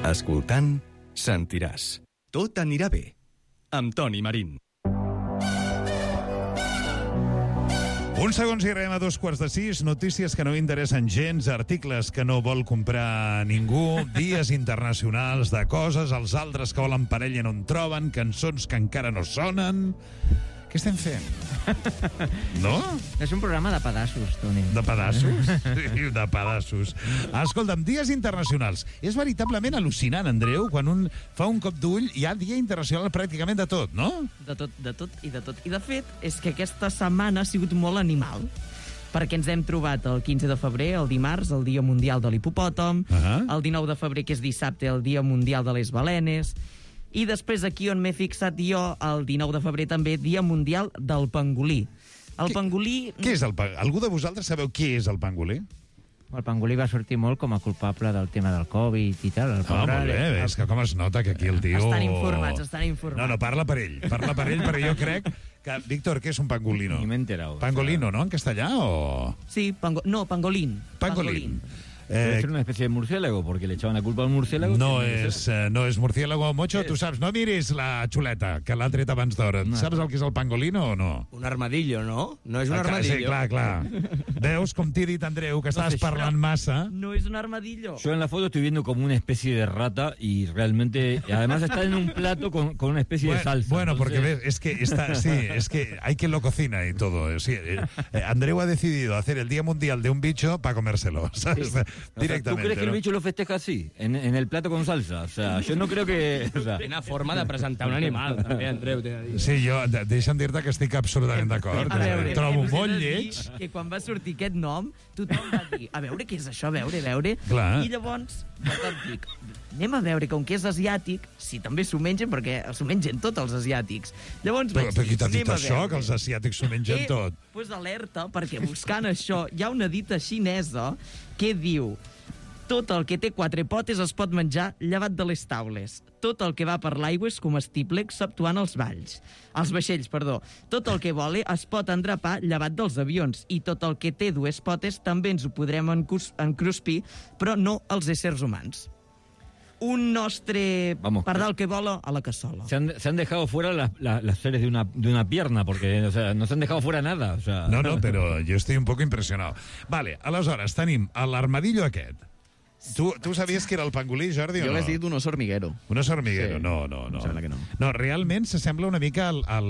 Escoltant, sentiràs. Tot anirà bé. Amb Toni Marín. Uns segons i arribem a 5:45. Notícies que no interessen gens, articles que no vol comprar ningú, dies internacionals de coses, els altres que volen parella i no en troben, cançons que encara no sonen... Què estem fent? No? És un programa de pedassos, Toni. De pedassos? Sí, de pedassos. Escolta'm, dies internacionals. És veritablement al·lucinant, Andreu, quan un fa un cop d'ull hi ha dia internacional pràcticament de tot, no? De tot. I de fet, és que aquesta setmana ha sigut molt animal, perquè ens hem trobat el 15 de febrer, el dimarts, el Dia Mundial de l'Hipopòtam, el 19 de febrer, que és dissabte, el Dia Mundial de les Balenes, i després aquí on m'he fixat jo, el 19 de febrer també, Dia Mundial del Pangolí. El pangolí... Què és el pangolí? Algú de vosaltres sabeu què és el pangolí? El pangolí va sortir molt com a culpable del tema del Covid i tal. Molt bé, és que com es nota que aquí el tio... Estan informats. No, parla per ell, perquè jo crec que... Víctor, què és un pangolino? Ni m'he enterado. Pangolino, ¿no? En castellà o...? Sí, pangolín. Pangolín. Debe ser una especie de murciélago, porque le echaban la culpa al murciélago. No és murciélago, Mocho, tu saps, no miris la xuleta, que l'ha tret abans d'hora. Saps el que és el pangolino o no? Un armadillo, no? No és un armadillo. Sí, clar. Veus, com t'he dit, Andreu, que estaves parlant massa. No es un armadillo. Yo en la foto estoy viendo como una especie de rata y realmente... Además está en un plato con una especie de salsa. Bueno, entonces... porque ves, es que hay quien lo cocina y todo. Sí, Andreu ha decidido hacer el Día Mundial de un bicho para comérselo, ¿sabes? Sí. Directamente. ¿Tú crees que el bicho lo festeja así, en el plato con salsa? O sea, yo no creo que... O sea... Una forma de presentar un animal, també, Andreu. Sí, jo, deixa'm dir-te que estic absolutament d'acord. Trobo molt lleig. Que quan va sortir aquest nom, tothom va dir, a veure què és això, a veure. Clar. I llavors, dic, anem a veure, com que és asiàtic, si també s'ho mengen, perquè s'ho mengen tots els asiàtics. Llavors però qui t'ha dit això, que els asiàtics s'ho mengen tot? Pues alerta, perquè buscant això hi ha una dita xinesa que diu: tot el que té 4 potes es pot menjar llevat de les taules. Tot el que va per l'aigua és comestible, exceptuant els vaixells. Tot el que vola es pot endrapar llevat dels avions, i tot el que té 2 potes també ens ho podrem encruspir, però no els éssers humans. Un nostre pardal que vola a la cassola. Se han dejado fuera las seres de una pierna, porque o sea, no se han dejado fuera nada. O sea... No, però jo estic un poc impressionat. Vale, aleshores tenim l'armadillo aquest. Tu sabies que era el pangolí, Jordi, o no? Jo l'he dit un oso hormiguero. Un oso hormiguero, sí. No. Em sembla que no. No, realment s'assembla una mica a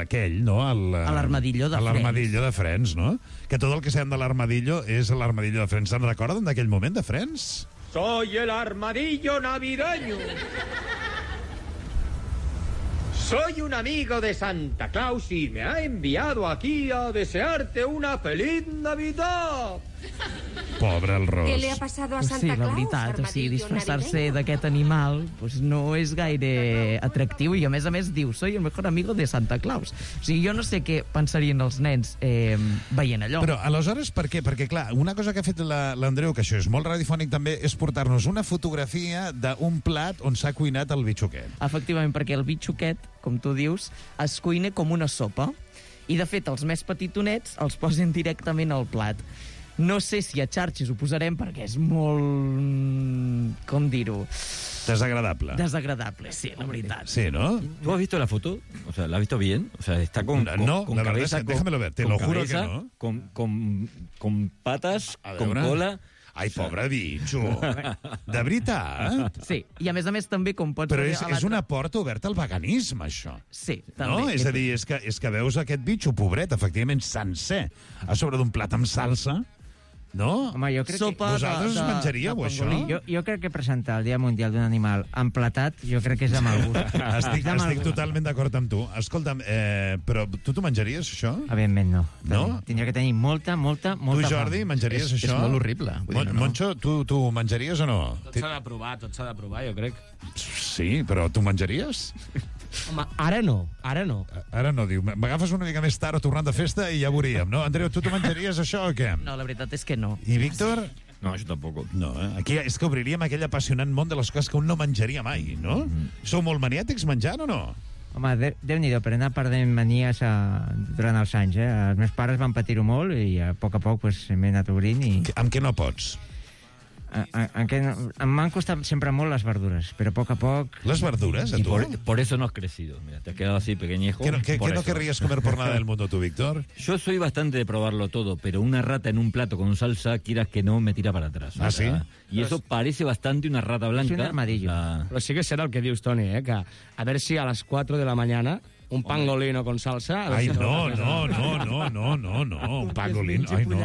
aquell, no? A l'armadillo de Friends. A l'armadillo de Friends, no? Que tot el que sabem de l'armadillo és l'armadillo de Friends. Se'n recorden d'aquell moment de Friends? Soy el armadillo navideño. Soy un amigo de Santa Claus y me ha enviado aquí a desearte una feliz Navidad. Pobre el Ros. ¿Qué le ha pasado a Santa Claus? Sí, la veritat, disfressar-se d'aquest animal no és gaire atractiu, i a més diu, soy el mejor amigo de Santa Claus. O sigui, jo no sé què pensarien els nens veient allò. Però aleshores per què? Perquè clar, una cosa que ha fet l'Andreu, que això és molt radiofònic també, és portar-nos una fotografia d'un plat on s'ha cuinat el bitxoquet. Efectivament, perquè el bitxoquet, com tu dius, es cuina com una sopa, i de fet els més petitonets els posen directament al plat. No sé si a xarxes ho posarem perquè és molt... com dir-ho? Desagradable. Desagradable, sí, la veritat. Sí, ¿no? ¿Tú has visto la foto? O sea, ¿la has visto bien? O sea, está con no, con la cabeza... verdad es que déjamelo ver, te lo juro que no. Con patas, con cola... Ai, pobre bitxo. De veritat? Sí, i a més també com pots... Però és una porta oberta al veganisme, això. Sí, també. No? És a dir, és que veus aquest bitxo, pobret, efectivament sencer, a sobre d'un plat amb salsa, no? Home, jo crec que... Vosaltres us menjaríeu, això? Jo crec que presentar el Dia Mundial d'un animal emplatat, jo crec que és de mal gust. Estic totalment d'acord amb tu. Escolta'm, però tu t'ho menjaries, això? Evidentment no. No? Tindria que tenir molta Tu, Jordi, menjaries això? És molt horrible. Moncho, tu menjaries o no? Tot s'ha de provar, jo crec. Sí, però tu menjaries? Home, ara no. Ara no, diu. M'agafes una mica més tard o tornant de festa i ja veuríem, no? Andreu, tu t'ho menjaries, això, o què? No, la veritat és que no. I Víctor? No, yo tampoco. No, aquí és que obriríem aquell apassionant món de les coses que un no menjaria mai, no? Sou molt maniàtics menjant o no? Home, Déu-n'hi-do, per anar perdent manies durant els anys, Els meus pares van patir-ho molt i a poc m'he anat obrint i... Amb què no pots? M'han costat sempre molt les verdures, però a poc a poc... ¿Las verduras, a Y tú? por eso no has crecido. Mira, te has quedado así pequeñejo. ¿Qué por no eso. querrías comer por nada del mundo tú, Víctor? Yo soy bastante de probarlo todo, pero una rata en un plato con salsa, quieras que no, me tira para atrás. ¿Ah, sí? Y eso parece bastante una rata blanca. Es un armadillo. Però sí que serà el que dius, Toni, que a veure si a les 4 de la mañana un pangolino con salsa... Ay, no, un pangolín, ay, no.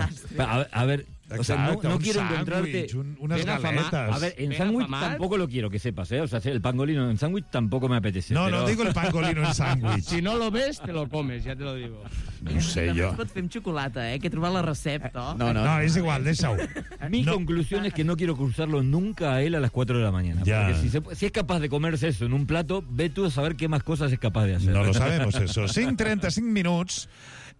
A ver, o sea, Exacto, no un quiero sándwich, encontrarte... unas Ben afamat. galetas. A ver, en Ben sándwich afamat. tampoco lo quiero, que sepas, ¿eh? O sea, el pangolino en sándwich tampoco me apetece. No, pero... no digo el pangolino en sándwich. Si no lo ves, te lo comes, ja te lo digo. No sé També jo. es pot fer amb xocolata, que he trobat la recepta. No, es igual, deixa-ho. Mi conclusión es que no quiero cruzarlo nunca a él a las 4 de la mañana. Ya. Porque si es capaz de comerse eso en un plato, ve tú a saber qué más cosas es capaz de hacer. No lo sabemos, eso. 5:35 minuts,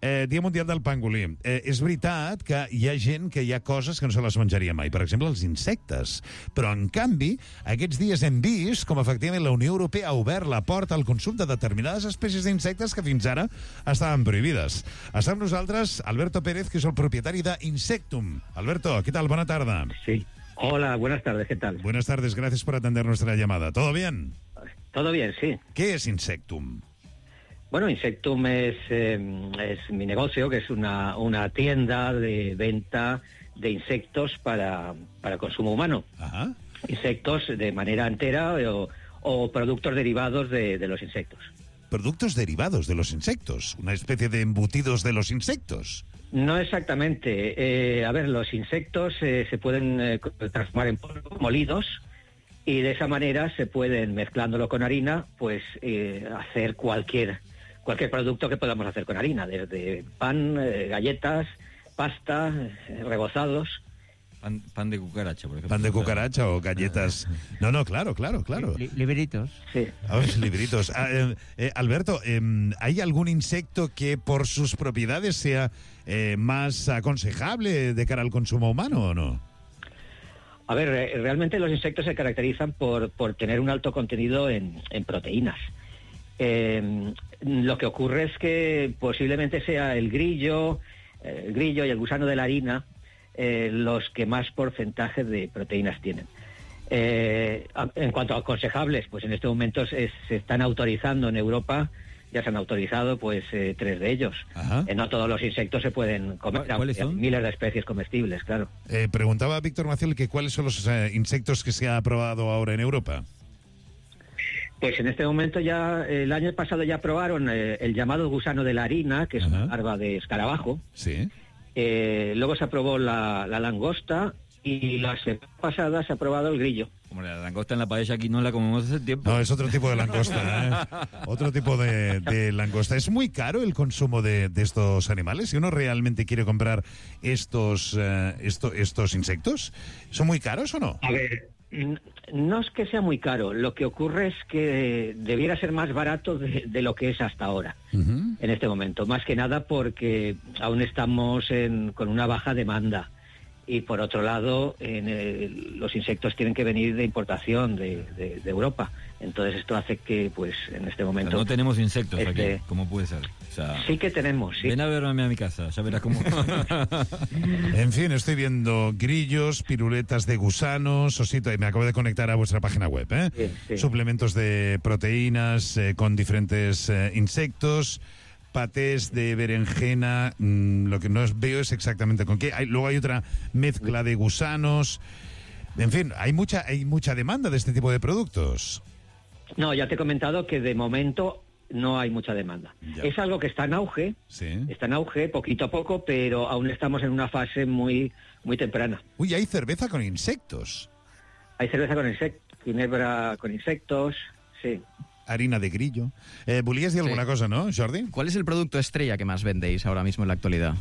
Dia Mundial del Pangolí. És veritat que hi ha gent que hi ha coses que no se les menjaria mai. Per exemple, els insectes. Però, en canvi, aquests dies hem vist com, efectivament, la Unió Europea ha obert la porta al consum de determinades espècies d'insectes que fins ara estaven prohibides. Està amb nosaltres Alberto Pérez, que és el propietari d'Insectum. Alberto, ¿qué tal? Buena tarde. Sí. Hola, buenas tardes, ¿qué tal? Buenas tardes, gracias por atender nuestra llamada. ¿Todo bien? Todo bien, sí. ¿Qué es Insectum? Bueno, Insectum es mi negocio, que es una tienda de venta de insectos para consumo humano. Ajá. Insectos de manera entera o productos derivados de los insectos. Productos derivados de los insectos, una especie de embutidos de los insectos. No exactamente. A ver, los insectos se pueden transformar en polvo, molidos, y de esa manera se pueden, mezclándolo con harina, pues hacer cualquier producto que podamos hacer con harina, desde pan, galletas, pasta, rebozados. Pan de cucaracha, por ejemplo. Pan de cucaracha o galletas. No, claro. Libritos. Sí. A ver, libritos. Alberto, ¿hay algún insecto que por sus propiedades sea más aconsejable de cara al consumo humano o no? A ver, realmente los insectos se caracterizan por tener un alto contenido en proteínas. Lo que ocurre es que posiblemente sea el grillo y el gusano de la harina los que más porcentaje de proteínas tienen. En cuanto a aconsejables, pues en este momento se están autorizando en Europa, ya se han autorizado pues 3 de ellos. No todos los insectos se pueden comer, ¿Cuáles son? Hay miles de especies comestibles, claro. Preguntaba Víctor Maciel que cuáles son los insectos que se ha aprobado ahora en Europa. Pues en este momento ya, el año pasado ya aprobaron el llamado gusano de la harina, que es una larva de escarabajo. Sí. Luego se aprobó la langosta y la semana pasada se ha aprobado el grillo. Como la langosta en la paella aquí no la comemos hace tiempo. No, es otro tipo de langosta, Otro tipo de langosta. ¿Es muy caro el consumo de estos animales? Si uno realmente quiere comprar estos insectos, ¿son muy caros o no? A ver, no es que sea muy caro. Lo que ocurre es que debiera ser más barato de lo que es hasta ahora, en este momento. Más que nada porque aún estamos con una baja demanda. Y por otro lado, los insectos tienen que venir de importación de Europa. Entonces esto hace que, pues, en este momento... Pero no tenemos insectos aquí, ¿cómo puede ser? O sea, sí que tenemos, sí. Ven a verme a mi casa, ya verás cómo... En fin, estoy viendo grillos, piruletas de gusanos, osito, y me acabo de conectar a vuestra página web, Sí. Suplementos de proteínas con diferentes insectos, patés de berenjena, lo que no veo es exactamente con qué. Luego hay otra mezcla de gusanos. En fin, hay mucha demanda de este tipo de productos. No, ya te he comentado que de momento no hay mucha demanda. Ya. Es algo que está en auge, poquito a poco, pero aún estamos en una fase muy, muy temprana. Uy, hay cerveza con insectos. Hay cerveza con insectos, ginebra con insectos, sí. Harina de grillo. Volías decir alguna cosa, ¿no, Jordi? ¿Cuál es el producto estrella que más vendéis ahora mismo en la actualidad?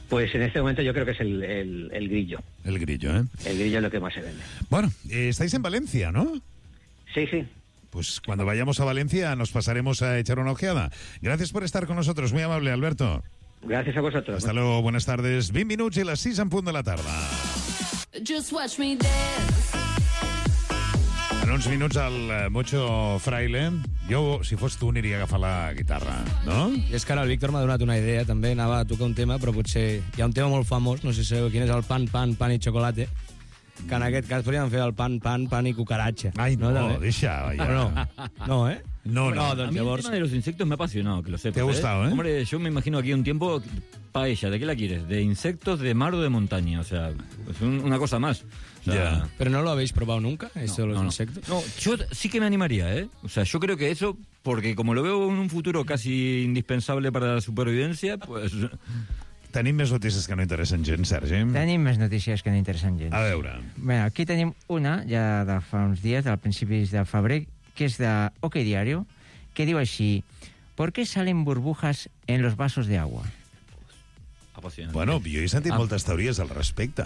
Pues en este momento yo creo que es el grillo. El grillo, ¿eh? El grillo es lo que más se vende. Bueno, estáis en Valencia, ¿no? Sí. Pues cuando vayamos a Valencia nos pasaremos a echar una ojeada. Gracias por estar con nosotros, muy amable, Alberto. Gracias a vosotros. Hasta luego, buenas tardes. 20 minuts i les 6 en punt de la tarda. Just watch me dance. En uns minuts el Mocho Fraile. Jo, si fos tu, aniria a agafar la guitarra, no? I és que ara el Víctor m'ha donat una idea, també anava a tocar un tema, però potser hi ha un tema molt famós, no sé si sabeu quin és, el pan i xocolate. que en aquest cas podríem fer el pan i cucaratxa. Ai, no, també? deixa, ja. No, ¿eh? No. A mí el tema de los insectos me ha apasionado, que lo sepas. ¿Te ha gustado, Hombre, yo me imagino aquí un tiempo, paella, ¿de qué la quieres? ¿De insectos, de mar o de montaña? O sea, es una cosa más. O sea, ¿Pero no lo habéis probado nunca, esto de los insectos? No, yo sí que me animaría, ¿eh? O sea, yo creo que eso, porque como lo veo en un futuro casi indispensable para la supervivencia, pues... Tenim més notícies que no interessen gens, Sergi. Tenim més notícies que no interessen gens. A veure. Bé, aquí tenim una, ja de fa uns dies, del principis de febrer, que és de OK Diario, que diu així: ¿Por qué salen burbujas en los vasos de agua? Bueno, jo he sentit moltes teories al respecte.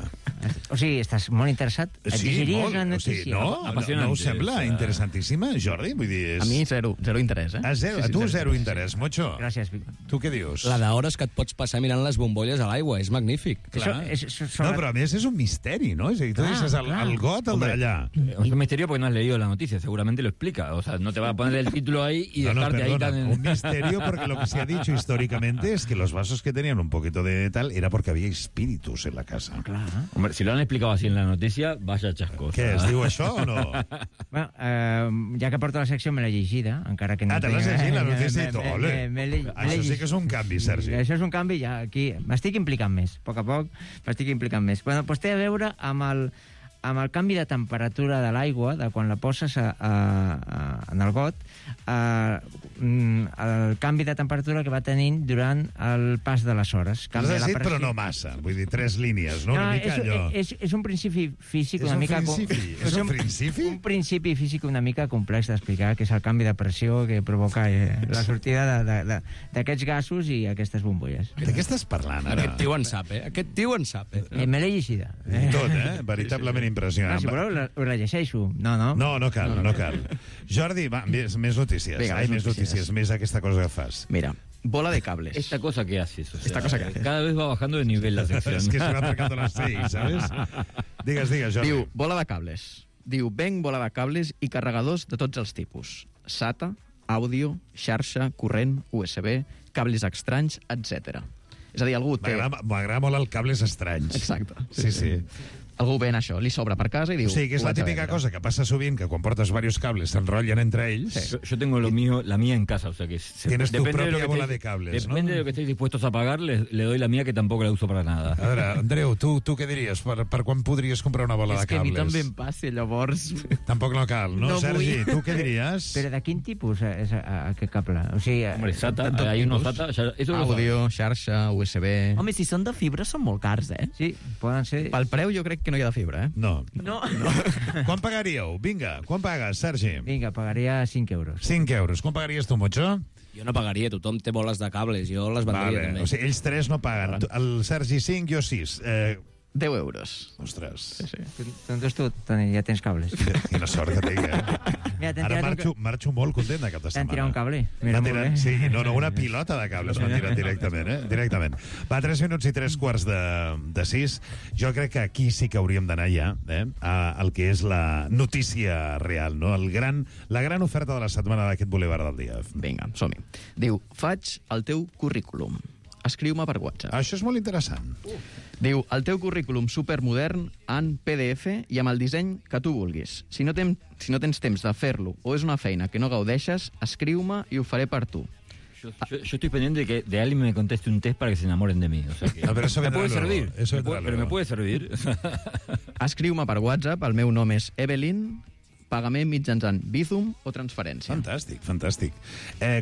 O sigui, estàs molt interessat? Et Sí, llegiries molt. la O notícia? sigui, no us sembla interessantíssima, Jordi? Vull dir, és... A mi zero interès, eh? A tu zero interès, Mocho. Gràcies. Tu què dius? La d'hores que et pots passar mirant les bombolles a l'aigua, és magnífic. Clar. No, però a més és un misteri, ¿no? És a dir, tu dices el got, el d'allà. Es un misterio porque no has leído la noticia, seguramente lo explica. O sea, no te va a poner el título ahí y dejarte ahí tan... Un misterio porque lo que se ha dicho históricamente es que los vasos que tenían un poquito de tal era porque había espíritus en la casa. Claro. Hombre, si lo han explicado así en la noticia, vaya chascos. Què, es diu això o no? Bueno, ja que porto la secció me l'he llegida, encara que no... Te l'has llegit, la notícia, i tot. Això sí que és un canvi, Sergi. Això és un canvi, ja aquí m'estic implicant més. A poc m'estic implicant més. Bueno, doncs té a veure amb el canvi de temperatura de l'aigua, de quan la poses en el got, el canvi de temperatura que va tenint durant el pas de les hores. L'has decidit, però no massa. Vull dir, 3 línies, no? Una mica allò. És un principi físic una mica... És un principi? Un principi físic una mica complex d'explicar, que és el canvi de pressió que provoca la sortida d'aquests gasos i aquestes bombolles. De què estàs parlant, ara? Aquest tio en sap, eh? Aquest tio en sap, eh? Me l'he llegida. Tot, veritablement impressionant. Si voleu, us la llegeixo. No. No cal. Jordi, va, més notícies. Vinga, més notícies, més aquesta cosa que fas. Mira, bola de cables. Esta cosa que haces, o sea, Esta cosa que haces. cada vez va bajando de nivel la sección. Es que se va acercando a las 6, ¿sabes? Digues, Jordi. Diu, bola de cables. Diu, venc bola de cables i carregadors de tots els tipus. SATA, àudio, xarxa, corrent, USB, cables estranys, etc. És a dir, algú té... M'agrada molt el cables estranys. Exacte. Sí. Algú ven això, li sobra per casa i diu... O sigui, que és la típica cosa que passa sovint, que quan portes varios cables s'enrotllen entre ells. Sí. Yo tengo la mía en casa, o sea que... Tienes tu propia bola de cables, ¿no? Depende de lo que estéis dispuestos a pagar, le doy la mía, que tampoco la uso para nada. A veure, Andreu, tu què diries? Per quan podries comprar una bola de cables? És que a mi també em passa, llavors... Tampoc no cal, no? Sergi, tu què diries? Però de quin tipus és aquest cable? O sigui... Hombre, SATA, hay unos SATA... Àudio, xarxa, USB... Home, si són de fibra són molt cars, eh? Sí, poden ser... Pel preu jo crec que no hi ha de fibra, eh? No. Quan pagaríeu? Vinga, quan pagues, Sergi? Vinga, pagaria 5 euros. 5 euros. Quan pagaries tu, Mocho? Jo no pagaria, tothom té boles de cables, jo les vendria també. O sigui, ells 3 no paguen. El Sergi 5, jo 6. 10 euros. Ostres. Sí. Doncs tu ja tens cables. Quina sort que tinc, eh? Mira, ara marxo molt content de cap de setmana. T'han tirat un cable. Sí, una pilota de cables m'han tirat directament, Va, 3 minuts i 3 quarts de 6. Jo crec que aquí sí que hauríem d'anar ja, al que és la notícia real, no? La gran oferta de la setmana d'aquest Boulevard del Dia. Vinga, som-hi. Diu, faig el teu currículum. Escriu-me per WhatsApp. Això és molt interessant. Diu, el teu currículum supermodern en PDF i amb el disseny que tu vulguis. Si no tens temps de fer-lo o és una feina que no gaudeixes, escriu-me i ho faré per tu. Yo estoy pendiente de que de alguien me conteste un test para que se enamoren de mí. O sea que no, pero eso me puede luego. servir. Pero me puede servir. Escriu-me per WhatsApp, el meu nom és Evelyn, pagament mitjançant Bizum o transferència. Fantàstic.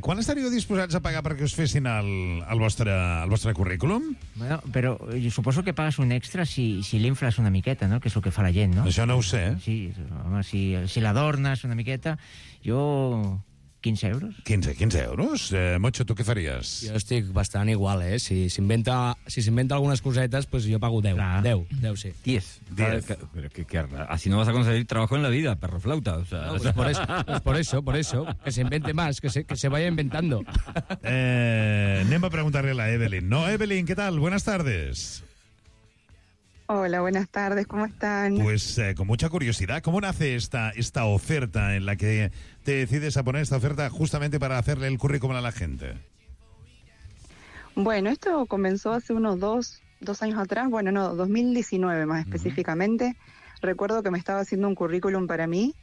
Quan estaríeu disposats a pagar perquè us fessin el vostre currículum? Bueno, però jo suposo que pagues un extra si l'infles una miqueta, no? Que és el que fa la gent, no? Això no ho sé. Sí, home, si l'adornes una miqueta, jo... 15 euros. 15 euros? Mocho, tu què faries? Jo estic bastant igual, eh? Si s'inventa algunes cosetes, pues yo pago 10. Claro. 10, sí. 10. Así no vas a conseguir trabajo en la vida, perro flauta. O sea, no, pues por eso. Que se invente más, que se vaya inventando. Anem a preguntarle a la Evelyn. No, Evelyn, ¿qué tal? Buenas tardes. Hola, buenas tardes, ¿cómo están? Pues con mucha curiosidad, ¿cómo nace esta oferta en la que te decides a poner esta oferta justamente para hacerle el currículum a la gente? Bueno, esto comenzó hace unos dos años atrás, 2019 más específicamente. recuerdo que me estaba haciendo un currículum para mí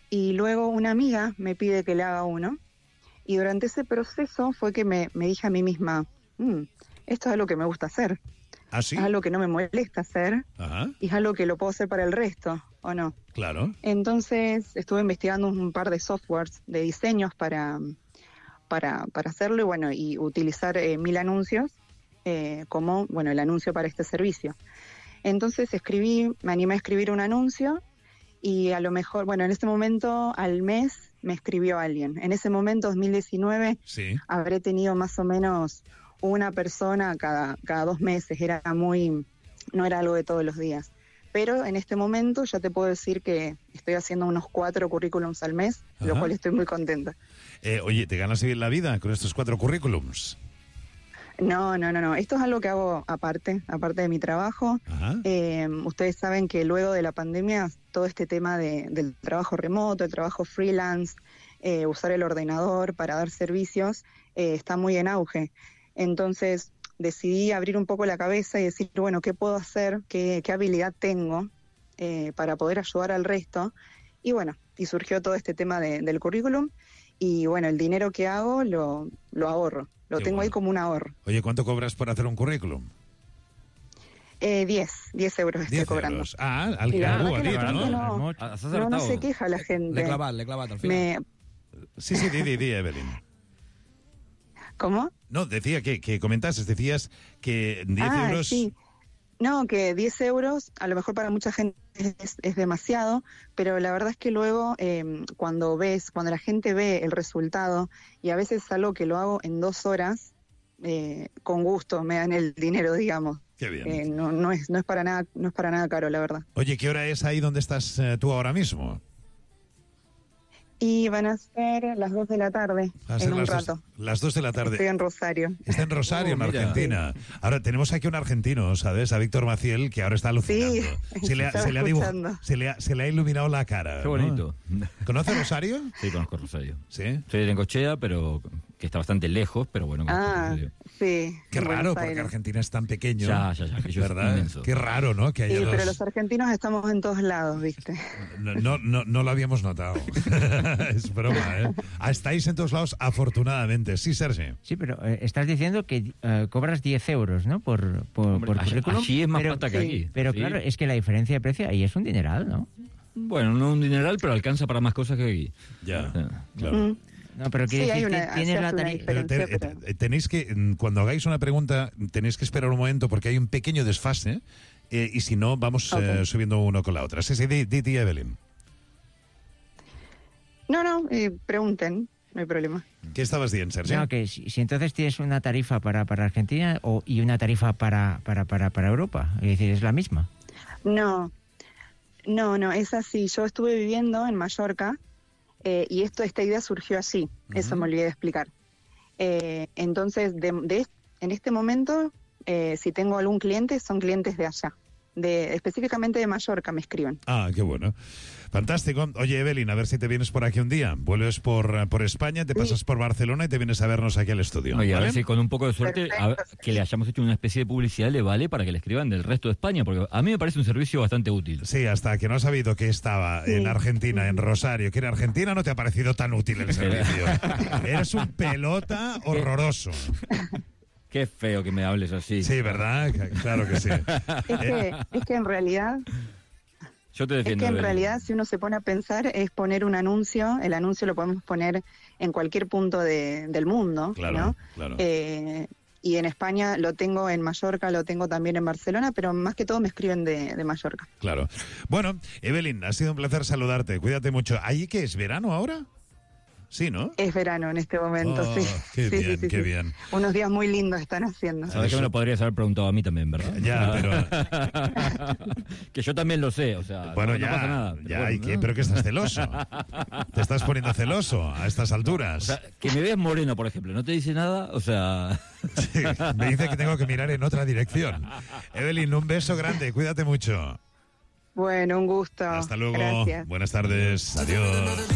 y luego una amiga me pide que le haga uno. Y durante ese proceso fue que me dije a mí misma, esto es algo que me gusta hacer. ¿Ah, sí? Es algo que no me molesta hacer. Ajá. Y es algo que lo puedo hacer para el resto, ¿o no? Claro. Entonces estuve investigando un par de softwares de diseños para hacerlo y bueno, y utilizar 1000 anuncios como, bueno, el anuncio para este servicio. Entonces me animé a escribir un anuncio y a lo mejor, bueno, en ese momento al mes me escribió alguien. En ese momento, 2019, sí, habré tenido más o menos una persona cada 2 meses. No era algo de todos los días. Pero en este momento ya te puedo decir que estoy haciendo unos 4 currículums al mes, Ajá. lo cual estoy muy contenta. Oye, ¿te ganas bien la vida con estos 4 currículums? No. Esto es algo que hago aparte de mi trabajo. Ustedes saben que luego de la pandemia, todo este tema del trabajo remoto, el trabajo freelance, usar el ordenador para dar servicios, está muy en auge. Entonces decidí abrir un poco la cabeza y decir, bueno, ¿qué puedo hacer? ¿Qué habilidad tengo para poder ayudar al resto? Y bueno, y surgió todo este tema del currículum. Y bueno, el dinero que hago lo ahorro. Lo tengo ahí como un ahorro. Oye, ¿cuánto cobras por hacer un currículum? 10 euros estoy cobrando. Euros. Ah, al Y la que verdad que la ¿no? gente no se queja la gente. L'he clavat al final. Sí, di, Evelyn. ¿Cómo? No, decía que comentases, decías que 10 euros... Sí. No, que 10 euros a lo mejor para mucha gente es demasiado, pero la verdad es que luego cuando la gente ve el resultado, y a veces es algo que lo hago en 2 horas, con gusto me dan el dinero, digamos. Qué bien. No es para nada caro, la verdad. Oye, ¿qué hora es ahí donde estás tú ahora mismo? Y van a ser las 2 de la tarde, en un rato. Las 2 de la tarde. Estoy en Rosario. Está en Rosario, en mira. Argentina. Ahora, tenemos aquí un argentino, ¿sabes? A Víctor Maciel, que ahora está alucinando. Sí, se le ha iluminado la cara. Qué bonito. ¿No? ¿Conoce Rosario? Sí, conozco Rosario. ¿Sí? Soy de Necochea, pero que está bastante lejos, pero bueno. Sí. Qué raro, porque Argentina es tan pequeño. Ya, que yo ¿verdad? inmenso. Qué raro, ¿no? Que haya Sí, dos... pero los argentinos estamos en todos lados, ¿viste? No lo habíamos notado. Es broma, ¿eh? Estáis en todos lados, afortunadamente. Sí, Sergi. Sí, pero estás diciendo que cobras 10 euros, ¿no? Por currículum. Allí es más plata que aquí. Pero Sí. claro, es que la diferencia de precio ahí es un dineral, ¿no? Bueno, no un dineral, pero alcanza para más cosas que aquí. Ya, claro. No, pero quiere decir que tienes la tarifa. Tenéis que, cuando hagáis una pregunta, tenéis que esperar un momento porque hay un pequeño desfase y si no, vamos subiendo uno con la otra. Sí, di, Evelyn. No, pregunten, no hay problema. ¿Qué estabas diciendo, Sergio? No, que si entonces tienes una tarifa para Argentina y una tarifa para Europa, es decir, es la misma. No, es así. Yo estuve viviendo en Mallorca y esta idea surgió así. Eso me olvidé de explicar. Entonces, en este momento, si tengo algún cliente, son clientes de allá. Específicamente de Mallorca me escriben. Ah, qué bueno. Fantástico. Oye, Evelyn, a ver si te vienes por aquí un día. Vuelves por España, te pasas por Barcelona y te vienes a vernos aquí al estudio. Oye, ¿vale? a ver si con un poco de suerte que le hayamos hecho una especie de publicidad le vale para que le escriban del resto de España, porque a mí me parece un servicio bastante útil. Sí, hasta que no has sabido que estaba en Argentina, en Rosario, que era Argentina, no te ha parecido tan útil el servicio. Eres un pelota horroroso. Qué feo que me hables así. Sí, ¿verdad? Claro que sí. Es que en realidad... Yo te defiendo. Es que en realidad, si uno se pone a pensar, es poner un anuncio. El anuncio lo podemos poner en cualquier punto del mundo, claro, ¿no? Claro. Y en España lo tengo en Mallorca, lo tengo también en Barcelona, pero más que todo me escriben de Mallorca. Claro. Bueno, Evelyn, ha sido un placer saludarte. Cuídate mucho. ¿Allí qué es? ¿Verano ahora? Sí, ¿no? Es verano en este momento, sí. Qué Sí, bien, sí, qué sí. bien. Unos días muy lindos están haciendo. Sabes que me lo podrías haber preguntado a mí también, ¿verdad? Ya, pero... que yo también lo sé, o sea, bueno, no pasa nada. Ya, pero que estás celoso. Te estás poniendo celoso a estas alturas. O sea, que me veas moreno, por ejemplo, ¿no te dice nada? O sea... Sí, me dice que tengo que mirar en otra dirección. Evelyn, un beso grande, cuídate mucho. Bueno, un gusto. Hasta luego. Gracias. Buenas tardes. Adiós.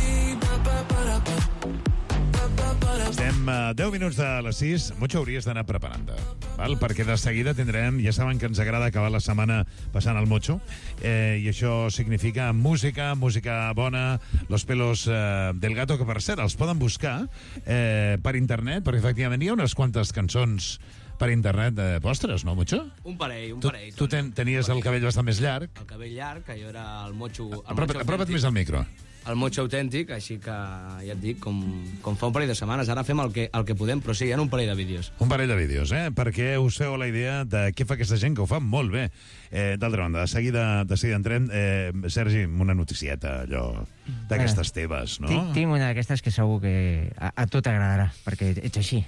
Estem 10 minuts de les 6, Mocho, hauries d'anar preparant-te, val? Perquè de seguida tindrem, ja saben que ens agrada acabar la setmana passant el Mocho, i això significa música bona, Los pelos del gato, que per cert els poden buscar per internet, perquè efectivament hi ha unes quantes cançons per internet vostres, no, Mocho? Un parell. Tu tenies el cabell bastant més llarg. El cabell llarg, que jo era el Mocho... Apropa't més al micro. El Mocho autèntic, així que ja et dic, com fa un parell de setmanes. Ara fem el que podem, però sí, hi ha un parell de vídeos. Un parell de vídeos, perquè us feu la idea de què fa aquesta gent, que ho fa molt bé. D'altra banda, de seguida entrem. Sergi, una noticieta, allò, d'aquestes teves, no? Tinc una d'aquestes que segur que a tu t'agradarà, perquè ets així.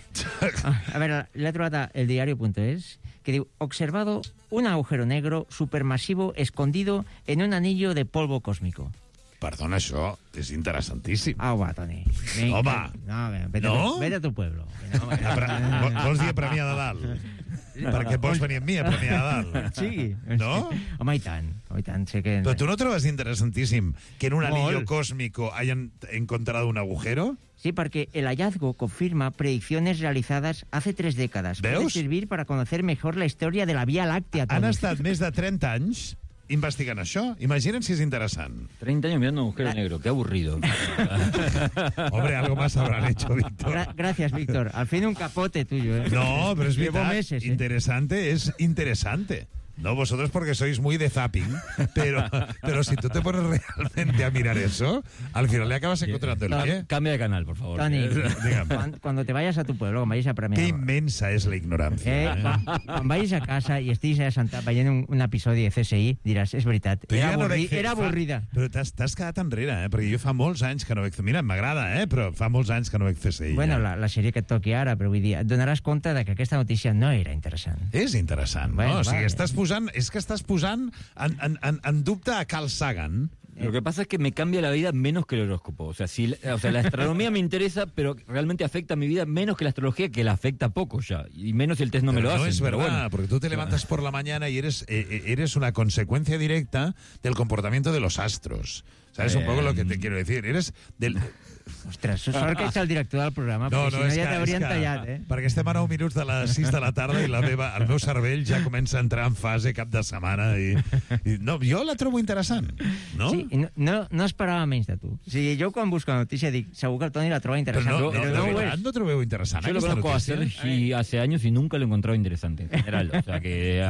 A veure, l'he trobat a eldiario.es, que diu: observado un agujero negro supermasivo escondido en un anillo de polvo cósmico. Perdona, això és interessantíssim. Au, va, Toni. Home! Vete a tu pueblo. Vols dir a Premià de Dalt? Perquè vols venir amb mi a Premià de Dalt? Sí. No? Home, i tant. Sé que... Però tu no trobes interessantíssim que en un anillo cósmico hayan encontrado un agujero? Sí, porque el hallazgo confirma predicciones realizadas hace 3 décadas. ¿Veus? Puede servir para conocer mejor la historia de la Vía Láctea, Toni. Han estat més de 30 anys investigant això. Imaginen si es interesant. 30 años mirando un agujero negro, qué aburrido. Hombre, algo más habrán hecho, Víctor. Gracias, Víctor. Al fin un capote tuyo, ¿eh? No, pero es Llevo verdad. meses, Interesante es interesante. No vosotros porque sois muy de zapping, pero si tú te pones realmente a mirar eso, al final le acabas encontrando el qué. Cambia de canal, por favor. Toni, cuando te vayas a tu pueblo, cuando vayas a Premià... Qué inmensa es la ignorancia. Quan vagis a casa i estiguis allà sentat veient un episodi de CSI, diràs, és veritat, era avorrida. Però t'has quedat enrere, perquè jo fa molts anys que no veig... Mira, m'agrada, però fa molts anys que no veig CSI. Bueno, la sèrie que et toqui ara, però vull dir, et donaràs compte de que aquesta notícia no era interessant. És interessant, no? O sigui, estàs posant en dubte a Carl Sagan. Lo que pasa es que me cambia la vida menos que el horóscopo. O sea, la astronomía me interesa, pero realmente afecta a mi vida menos que la astrología, que la afecta poco ya. Y menos si el test no me lo hace. No es verdad, porque tú te levantas por la mañana y eres una consecuencia directa del comportamiento de los astros. ¿Sabes un poco lo que te quiero decir? Eres del... Ostres, sort que ets el director del programa, perquè si no ja t'haurien tallat, Perquè estem a 9 minuts de les 6 de la tarda i el meu cervell ja comença a entrar en fase cap de setmana i no, jo la trobo interessant, no? Sí, no esperava menys de tu. O sigui, jo quan busco la notícia dic, segur que el Toni la troba interessant. Però no trobeu interessant yo lo conozco a Sergi hace años y nunca lo he encontrado interesante en general. O sea que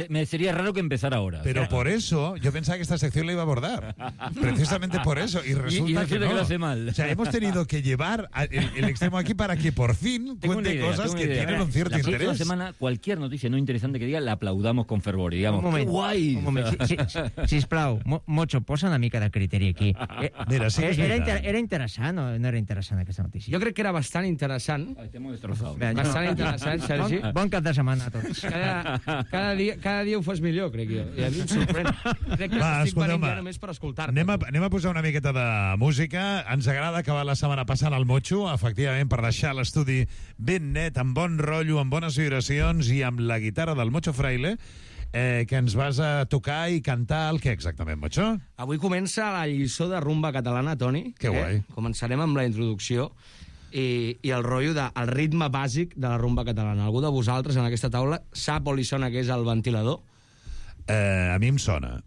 me sería raro que empezara ahora. Pero por eso yo pensaba que esta sección la iba a abordar. Precisamente por eso. Y resulta que no. Que lo hace mal. O sea, hemos tenido que llevar el extremo aquí para que por fin cuente cosas que tienen un cierto interés. La semana, cualquier noticia no interesante que diga, la aplaudamos con fervor. Y digamos, un moment, ¡qué guai! Un moment, sisplau, Mocho, posa una mica de criteri aquí. Mira, sí, era interessant o no era interessant aquesta notícia? Jo crec que era bastant interessant. T'hem destrozado. Bastant interessant, Sergi. Bon cap de setmana a tots. Cada dia ho fas millor, crec jo. I a mi em sorprèn. Crec que estic venint ja només per escoltar-te. Anem a posar una miqueta de música. Ens agrada acabar la setmana passant al Mocho, efectivament, per deixar l'estudi ben net, amb bon rotllo, amb bones vibracions i amb la guitarra del Mocho Fraile, que ens vas a tocar i cantar el què exactament, Mocho? Avui comença la lliçó de rumba catalana, Toni. Que guai. Començarem amb la introducció i el rotllo del ritme bàsic de la rumba catalana. Algú de vosaltres en aquesta taula sap o li sona que és el ventilador? A mi em sona.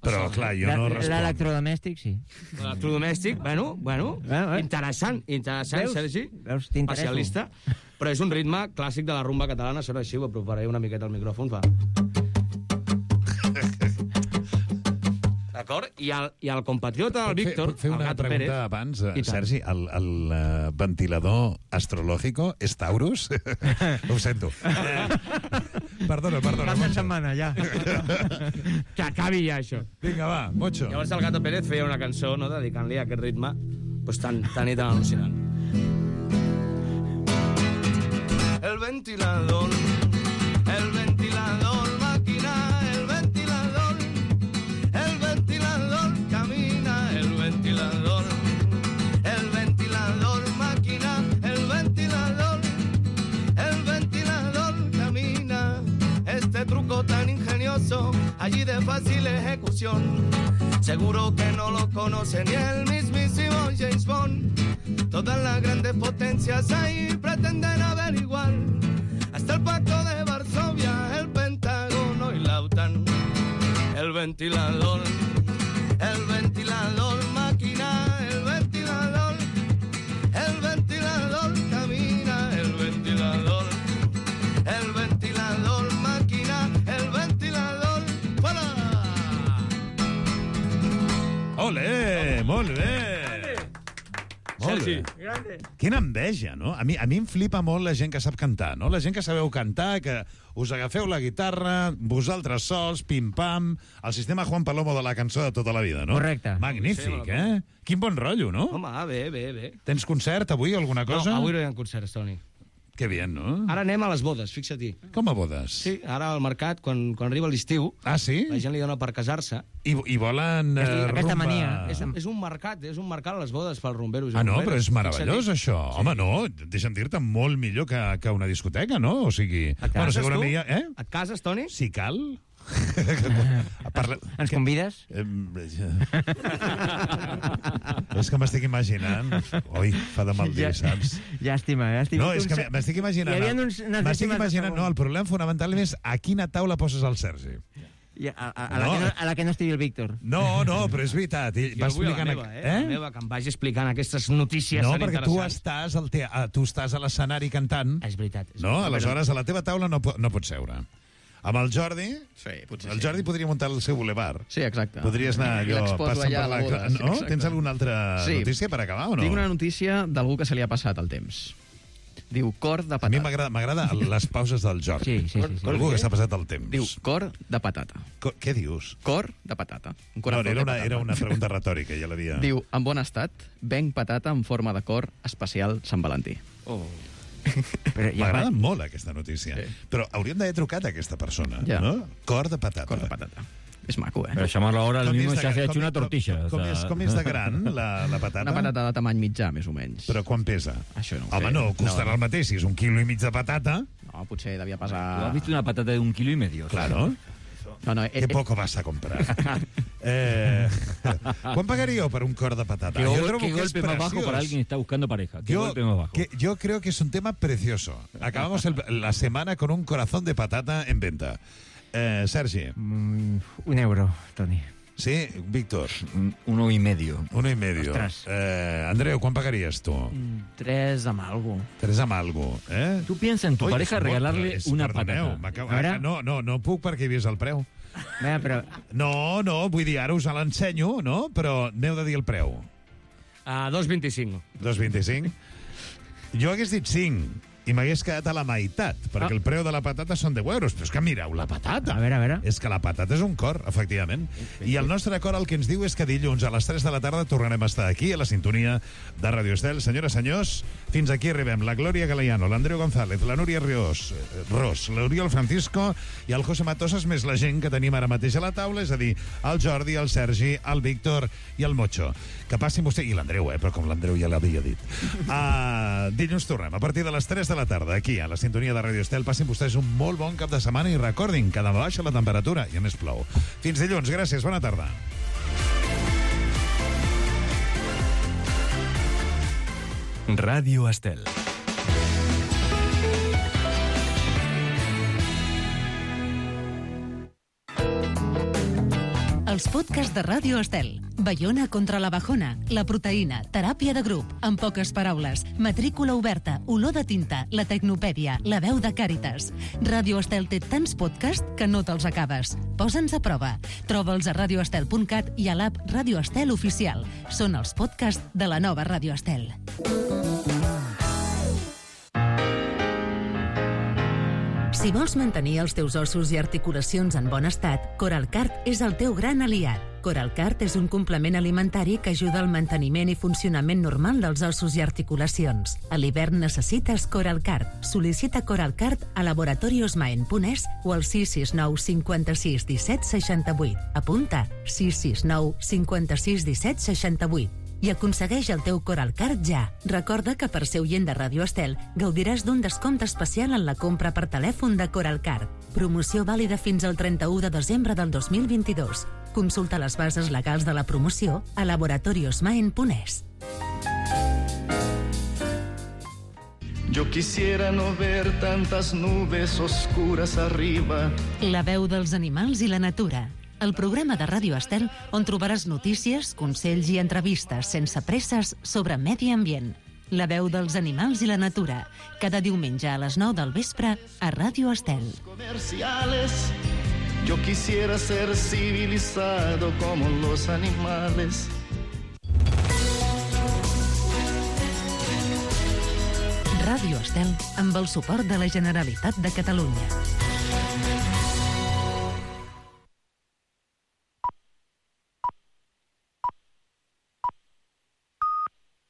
Però, clar, jo no responc. L'electrodomèstic, sí. L'electrodomèstic, bueno, interessant, Sergi, especialista, però és un ritme clàssic de la rumba catalana, sona així, ho aproparé una miqueta al micròfon, fa. D'acord? I el compatriota del Víctor, Fer una pregunta abans, Sergi, el ventilador astrològico és Taurus? Ho sento. Perdona. Passa setmana, ja. Que acabi ja, això. Vinga, va, Mocho. Llavors el Gato Pérez feia una cançó, no?, dedicant-li a aquest ritme pues, tan i tan al·lucinant. El ventilador, máquina, el ventilador camina, el ventilador, máquina, el ventilador camina. Este truco tan ingenioso, allí de fácil ejecución, seguro que no lo conoce ni el mismísimo James Bond. Todas las grandes potencias potencias ahí pretenden averiguar hasta el pacto de Varsovia, el Pentágono y la OTAN. El ventilador máquina, el ventilador camina, el ventilador máquina, el ventilador, ¡fuera! Olé, molt bé. Molt bé. Quina enveja, no? A mi em flipa molt la gent que sap cantar, no? La gent que sabeu cantar, que us agafeu la guitarra, vosaltres sols, pim-pam, el sistema Juan Palomo de la cançó de tota la vida, no? Correcte. Magnífic, eh? Quin bon rotllo, no? Home, bé. Tens concert avui, alguna cosa? No, avui no hi ha concerts, Toni. Que bien, no? Ara anem a les bodes, fixa-t'hi. Com a bodes? Sí, ara al mercat, quan arriba l'estiu... Ah, sí? La gent li dona per casar-se. I volen aquesta rumba... mania. És un mercat a les bodes pels rumberos. Ah, no? Però és meravellós, això. Sí. Home, no, deixa'm dir-te, molt millor que una discoteca, no? O sigui... Et cases, segurament tu? Eh? Et cases, Toni? Si cal... Ens convides? És que m'estic imaginant... Oi, fa de mal dir, saps? Llàstima. No, és que m'estic imaginant... M'estic imaginant... No, el problema fonamental és a quina taula poses el Sergi. A la que no estigui el Víctor. No, però és veritat. Jo vull la meva, la meva, que em vagi explicant aquestes notícies tan interessants. No, perquè tu estàs a l'escenari cantant. És veritat. No, aleshores a la teva taula no pots seure. Amb el Jordi, potser el Jordi podria muntar el seu boulevard. Sí, exacte. Podries anar allò passant per la... No? Sí, tens alguna altra notícia per acabar o no? Tinc una notícia d'algú que se li ha passat el temps. Diu cor de patata. A mi m'agrada les pauses del Jordi. Sí. Algú que s'ha passat el temps. Diu cor de patata. Què dius? Cor de patata. Era una pregunta retòrica, ja l'havia... Diu, en bon estat, venc patata en forma de cor especial Sant Valentí. M'agrada molt aquesta notícia. Sí. Però hauríem d'haver trucat a aquesta persona, no? Cor de patata. Cor de patata. És maco, eh? Pero llamarlo ahora lo mismo se hace hecho una tortilla. Com és de gran, la patata? Una patata de tamany mitjà, més o menys. Però quan pesa? Això no ho sé. Home, no, costarà el mateix. Si és 1,5 quilos de patata... No, potser devia pesar... ¿Tú has visto una patata de 1,5 kilos? Claro. No, Qué poco vas a comprar. ¿Cuán pagaría por un cor de patata? ¿Qué golpe más bajo para alguien que está buscando pareja? ¿Qué golpe más bajo? Yo creo que es un tema precioso. Acabamos la semana con un corazón de patata en venta. Sergi. €1, Toni. Sí, Víctor. 1,5. 1,5. Ostres. Andreu, ¿cuán pagarías tú? 3 amb algo. 3 amb algo, eh? Tú piensas en tu pareja regalarle una patata. No puc perquè he vist el preu. Però... No, vull dir, ara us l'ensenyo, no? Però n'heu de dir el preu. 2,25. 2,25? Jo hagués dit 5 i m'hagués quedat a la meitat, perquè el preu de la patata són €10. Però és que mireu la patata. A veure. És que la patata és un cor, efectivament. I el nostre cor el que ens diu és que dilluns a les 3 de la tarda tornarem a estar aquí, a la sintonia de Radio Estel. Senyores, senyors, fins aquí arribem. La Glòria Galeano, l'Andreu González, la Núria Ros, l'Oriol Francisco i el José Matosas, més la gent que tenim ara mateix a la taula, és a dir, el Jordi, el Sergi, el Víctor i el Mocho. Que passin vostè... I l'Andreu, però com l'Andreu ja l'havia dit. Dilluns tornem a partir de les 3 de la tarda, aquí, a la sintonia de Radio Estel. Passin vostès un molt bon cap de setmana i recordin que demà baixa la temperatura i a més plou. Fins dilluns, gràcies, bona tarda. Ràdio Estel. Els podcasts de Ràdio Estel. Baiona contra la bajona, la proteïna, teràpia de grup, en poques paraules, matrícula oberta, olor de tinta, la tecnopèdia, la veu de Càritas. Ràdio Estel té tants podcasts que no te'ls acabes. Posa'ns a prova. Troba'ls a radioestel.cat i a l'app Ràdio Estel Oficial. Són els podcasts de la nova Ràdio Estel. Si vols mantenir els teus ossos i articulacions en bon estat, Coralcart és el teu gran aliat. Coralcart és un complement alimentari que ajuda al manteniment i funcionament normal dels ossos i articulacions. A l'hivern necessites Coralcart. Sol·licita Coralcart a laboratoriosmaen.es o al 669 56 17 68. Apunta 669 56 17 68. I aconsegueix el teu Coralcart ja. Recorda que per ser oient de Ràdio Estel gaudiràs d'un descompte especial en la compra per telèfon de Coralcart. Promoció vàlida fins al 31 de desembre del 2022. Consulta les bases legals de la promoció a laboratoriosmaen.es. Yo quisiera no ver tantas nubes oscuras arriba. La veu dels animals i la natura. El programa de Ràdio Estel on trobaràs notícies, consells i entrevistes sense presses sobre medi ambient. La veu dels animals i la natura. Cada diumenge a les 9 del vespre a Ràdio Estel. Comerciales. Yo quisiera ser civilizado como los animales. Ràdio Estel amb el suport de la Generalitat de Catalunya.